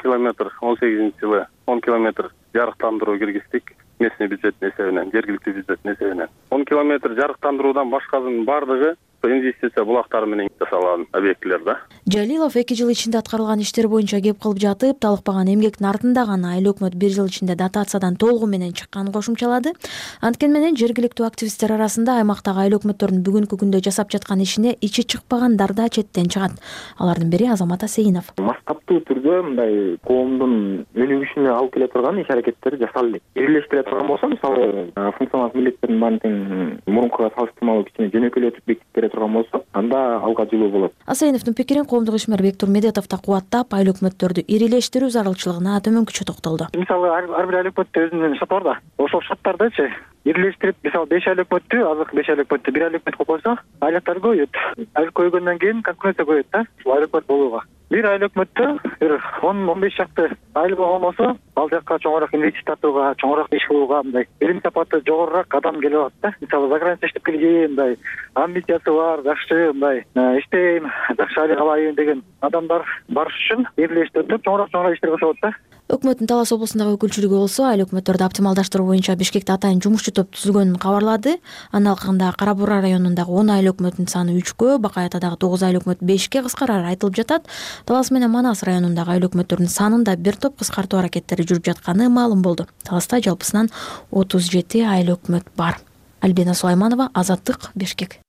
километр 18-жылы 10 километр жарыктандыруу киргиздик. Местный бюджеттин эсебинен, жергиликтүү бюджеттин эсебинен. 10 километр жарыктандыруудан башкасынын бардыгы инвестиция булактары менен жасалган объектилер да. Жалилов 2 жыл ичинде аткарылган иштер боюнча кеп кылып жатып, талыкпаган эмгектин артында гана айыл өкмөт 1 жыл ичинде дотациядан толугу менен чыкканын кошумчалады. Анткени менен жергиликтүү активисттер арасында аймактагы айыл өкмөттөрдүн бүгүнкү күндө жасап жаткан ишине ичи чыкпагандар да четтен чыгат. Алардын бири Азамат Асейинов. Маскаттуу түрдө мындай коомдун өнүгүшүнө алып келе турган иш аракеттер жасалды. Бирлештире турган болсо, мисалы, функционалдык милдеттердин баарын тең мурункуга салыштырмалуу кичине жөнөкөйлөтүп бекитип турган болсо, анда алга жылуу болот. Асейновдун пикирин коомдук ишмер Бектур Медетов да кубаттап, айыл өкмөттөрдү ирилештирүү зарылчылыгына төмөнкүчө токтолду. Мисалы, ар бир айыл өкмөттө өзүнүн шоты бар да. Ошол шоттардычы ирилештирип, мисалы 5 айыл өкмөттү, азыркы 5 айыл өкмөттү 1 айыл өкмөт кылып койсо, айлыктар көбөйөт. Айыл көбөйгөндөн кийин конкуренция көбөйөт да, айыл өкмөт болууга. Bir айыл өкмөттө 10-15 шакты айыл болгон болсо, ал жакка чоңураак инвестиция тартууга, чоңураак иш кылууга мындай билим сапаты жогорураак адам келип атат да. Мисалы, заграница иштеп келген, мындай амбициясы бар, жакшы, мындай иштейм, жакшы айыл алайын деген адамдар барыш үчүн бирлештирип чоңураак иштер кылышат да. Өкмөттүн Талас облусундагы өкүлчүлүгү болсо, айыл өкмөттөрдү оптималдаштыруу боюнча Бишкекте атайын жумушчу топ түзүлгөнүн кабарлады. Анын алкагында Кара Бура районундагы 10 айыл өкмөтүнүн саны 3кө, Бакай Атадагы 9 айыл өкмөт 5кке кыскарары айтылып жатат. Талас менен Манас районундагы айыл өкмөттөрдүн санында бир топ кыскартуу аракеттери жүрүп жатканы маалым болду. Таласта жалпысынан 37 айыл өкмөт бар. Альбина Сулайманова, Азаттык, Бишкек.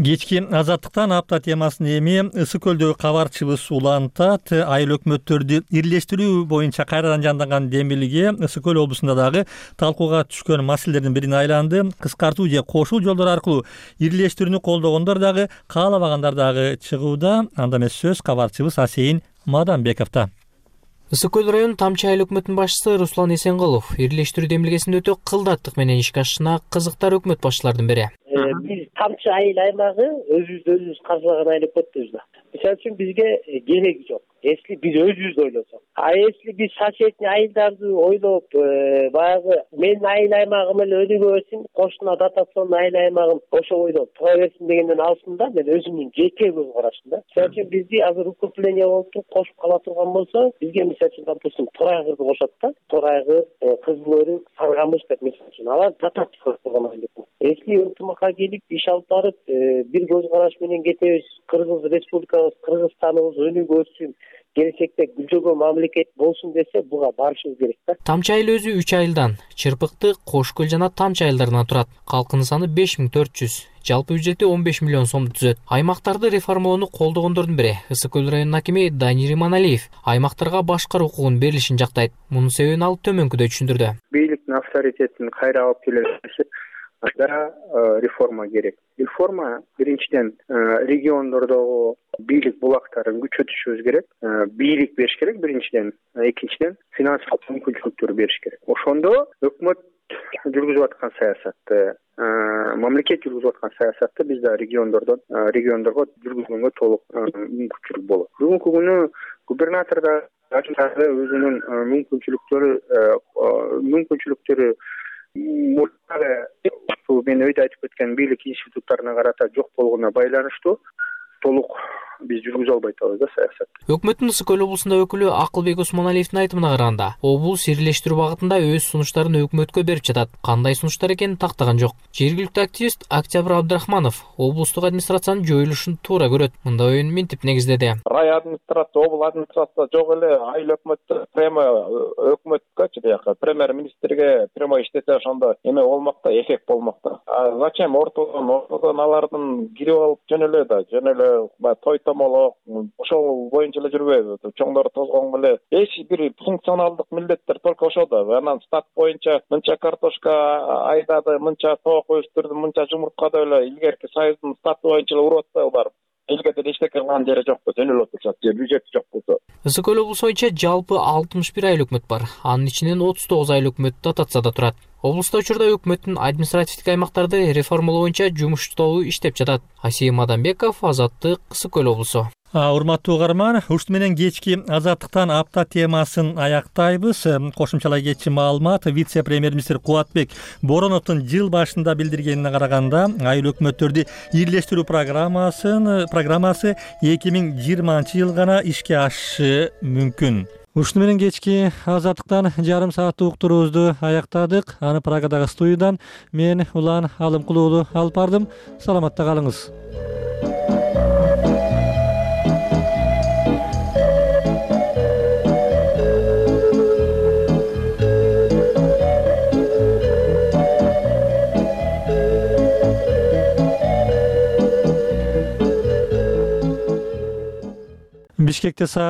Кечки Азаттыктан апта темасын эми Ысык көлдөгү кабарчыбыз улантат. Айыл өкмөттөрдү ирилештирүү боюнча кайрадан жанданган демилге Ысык көл облусунда дагы талкууга түшкөн маселелердин бирине айланды. Кыскартуу же кошул жолдор аркылуу ирилештирүүнү колдогондор дагы, каалабагандар дагы чыгууда. Анда эмес сөз кабарчыбыз Асейин Маданбековдо. Ысык көл районунун Тамчы айыл өкмөтүнүн башчысы Руслан Эсенкулов ирилештирүү демилгесинин өтө кылдаттык менен ишке ашышына кызыктар өкмөт башчылардын бири. Биз Тамчы айыл аймагы өзүбүз каржылаган айыл өкмөтпүз да. Мисалы үчүн бизге кереги жок. Если биз өзүбүз ойлосок. Если биз соседний айылдарды ойлоп, баягы менин айыл аймагым эле өнүгө берсин, кошуна дотационный айыл аймагым ошо бойдон тура берсин дегенден алсында, мен өзүмдүн жеке көз карашым да. Мисалы үчүн бизди азыр укрепление болуп туруп кошуп кала турган болсо, бизге мисалы үчүн, допустим, Торайгырды кошот да. Торайгыр, Кызылөрүк, Саргамыш деп мисалы үчүн алар дотация кылып турган айыл. Если ынтымакка келип иш алып барып, бир көз караш менен кетебиз, Кыргыз республикабыз, Кыргызстаныбыз өнүгө берсин, келечекте гүлжөгөн мамлекет болсун десе, буга барышыбыз керек да. Тамчы айыл өзү 3 айылдан, Чырпыкты, Кош көл жана Тамчы айылдарынан турат. Калкынын саны 5400. Жалпы бюджети 15 миллион сомду түзөт. Аймактарды реформалоону колдогондордун бири Ысык көл районунун акими Данир Иманалиев аймактарга башкаруу укугунун берилишин жактайт. Мунун себебин ал төмөнкүдөй түшүндүрдү. Бийликтин авторитетин кайра алып келиши анда реформа керек. Реформа биринчиден региондордогу бийлик булактарын күчөтүшүбүз керек. Бийлик бериш керек биринчиден, экинчиден финансылык мүмкүнчүлүктөр бериш керек. Ошондо өкмөт жүргүзүп аткан саясатты, мамлекет жүргүзүп аткан саясатты биз да региондорго жүргүзгөнгө толук мүмкүнчүлүк болот. Бүгүнкү күнү губернатор да өзүнүн мүмкүнчүлүктөрү мен өйдө айтып кеткен бийлик институттарына карата жок болгонуна байланыштуу толук биз жүргүзө албай атабыз да саясат. Өкмөттүн Ысык көл облусунда өкүлү Акылбек Усмоналиевдин айтымына караганда, облус ирилештирүү багытында өз сунуштарын өкмөткө берип жатат. Кандай сунуштар экенин тактаган жок. Жергиликтүү активист Октябрь Абдрахманов облустук администрациянын жоюлушун туура көрөт. Мындай оюн минтип негиздеди. Рай администрация, обл администрация жок эле айыл өкмөттү прямо өкмөткө жакшы премьер-министрге прямо иштесе ошондо эме болмок да, эффект болмок да. Зачем ортодон алардын кирип алып жөн эле той томолок ошол боюнча эле жүрбөйбү. Чоңдор тозгон эле эч бир функционалдык милдеттер только ошодо. Анан стат боюнча мынча картошка айдады, мынча тоок өстүрдү, мынча жумуртка деп эле илгерки союздун статы боюнча эле уруп атпайбы барып. Элге деле эчтеке кылган жери жокпу, жөн эле отурушат, же бюджети жок болсо. Ысык көл облусу боюнча жалпы 61 айыл өкмөт бар. Анын ичинен 39 айыл өкмөт дотацияда турат. Облуста учурда өкмөттүн административдик аймактарды реформалоо боюнча жумуш тобу иштеп жатат. Асия Мадамбеков, Азаттык, Ысык көл облусу. Урматтуу угарман, ушт менен кечки Азаттыктан апта темасын аяктайбыз. Кошумчалай кетчи маалымат вице-премьер-министр Кубатбек Бороновдун жыл башында билдиргенине караганда, айыл өкмөттөрдү ирлештирүү программасы 2020 жыл гана ишке ашышы мүмкүн. Ушуну менен кечки Азаттыктан жарым сааттык уктуруубузду аяктадык. Аны Прагадагы студиядан мен Улан Алымкулуулу алып бардым. Саламатта калыңыз. Бишкекте саат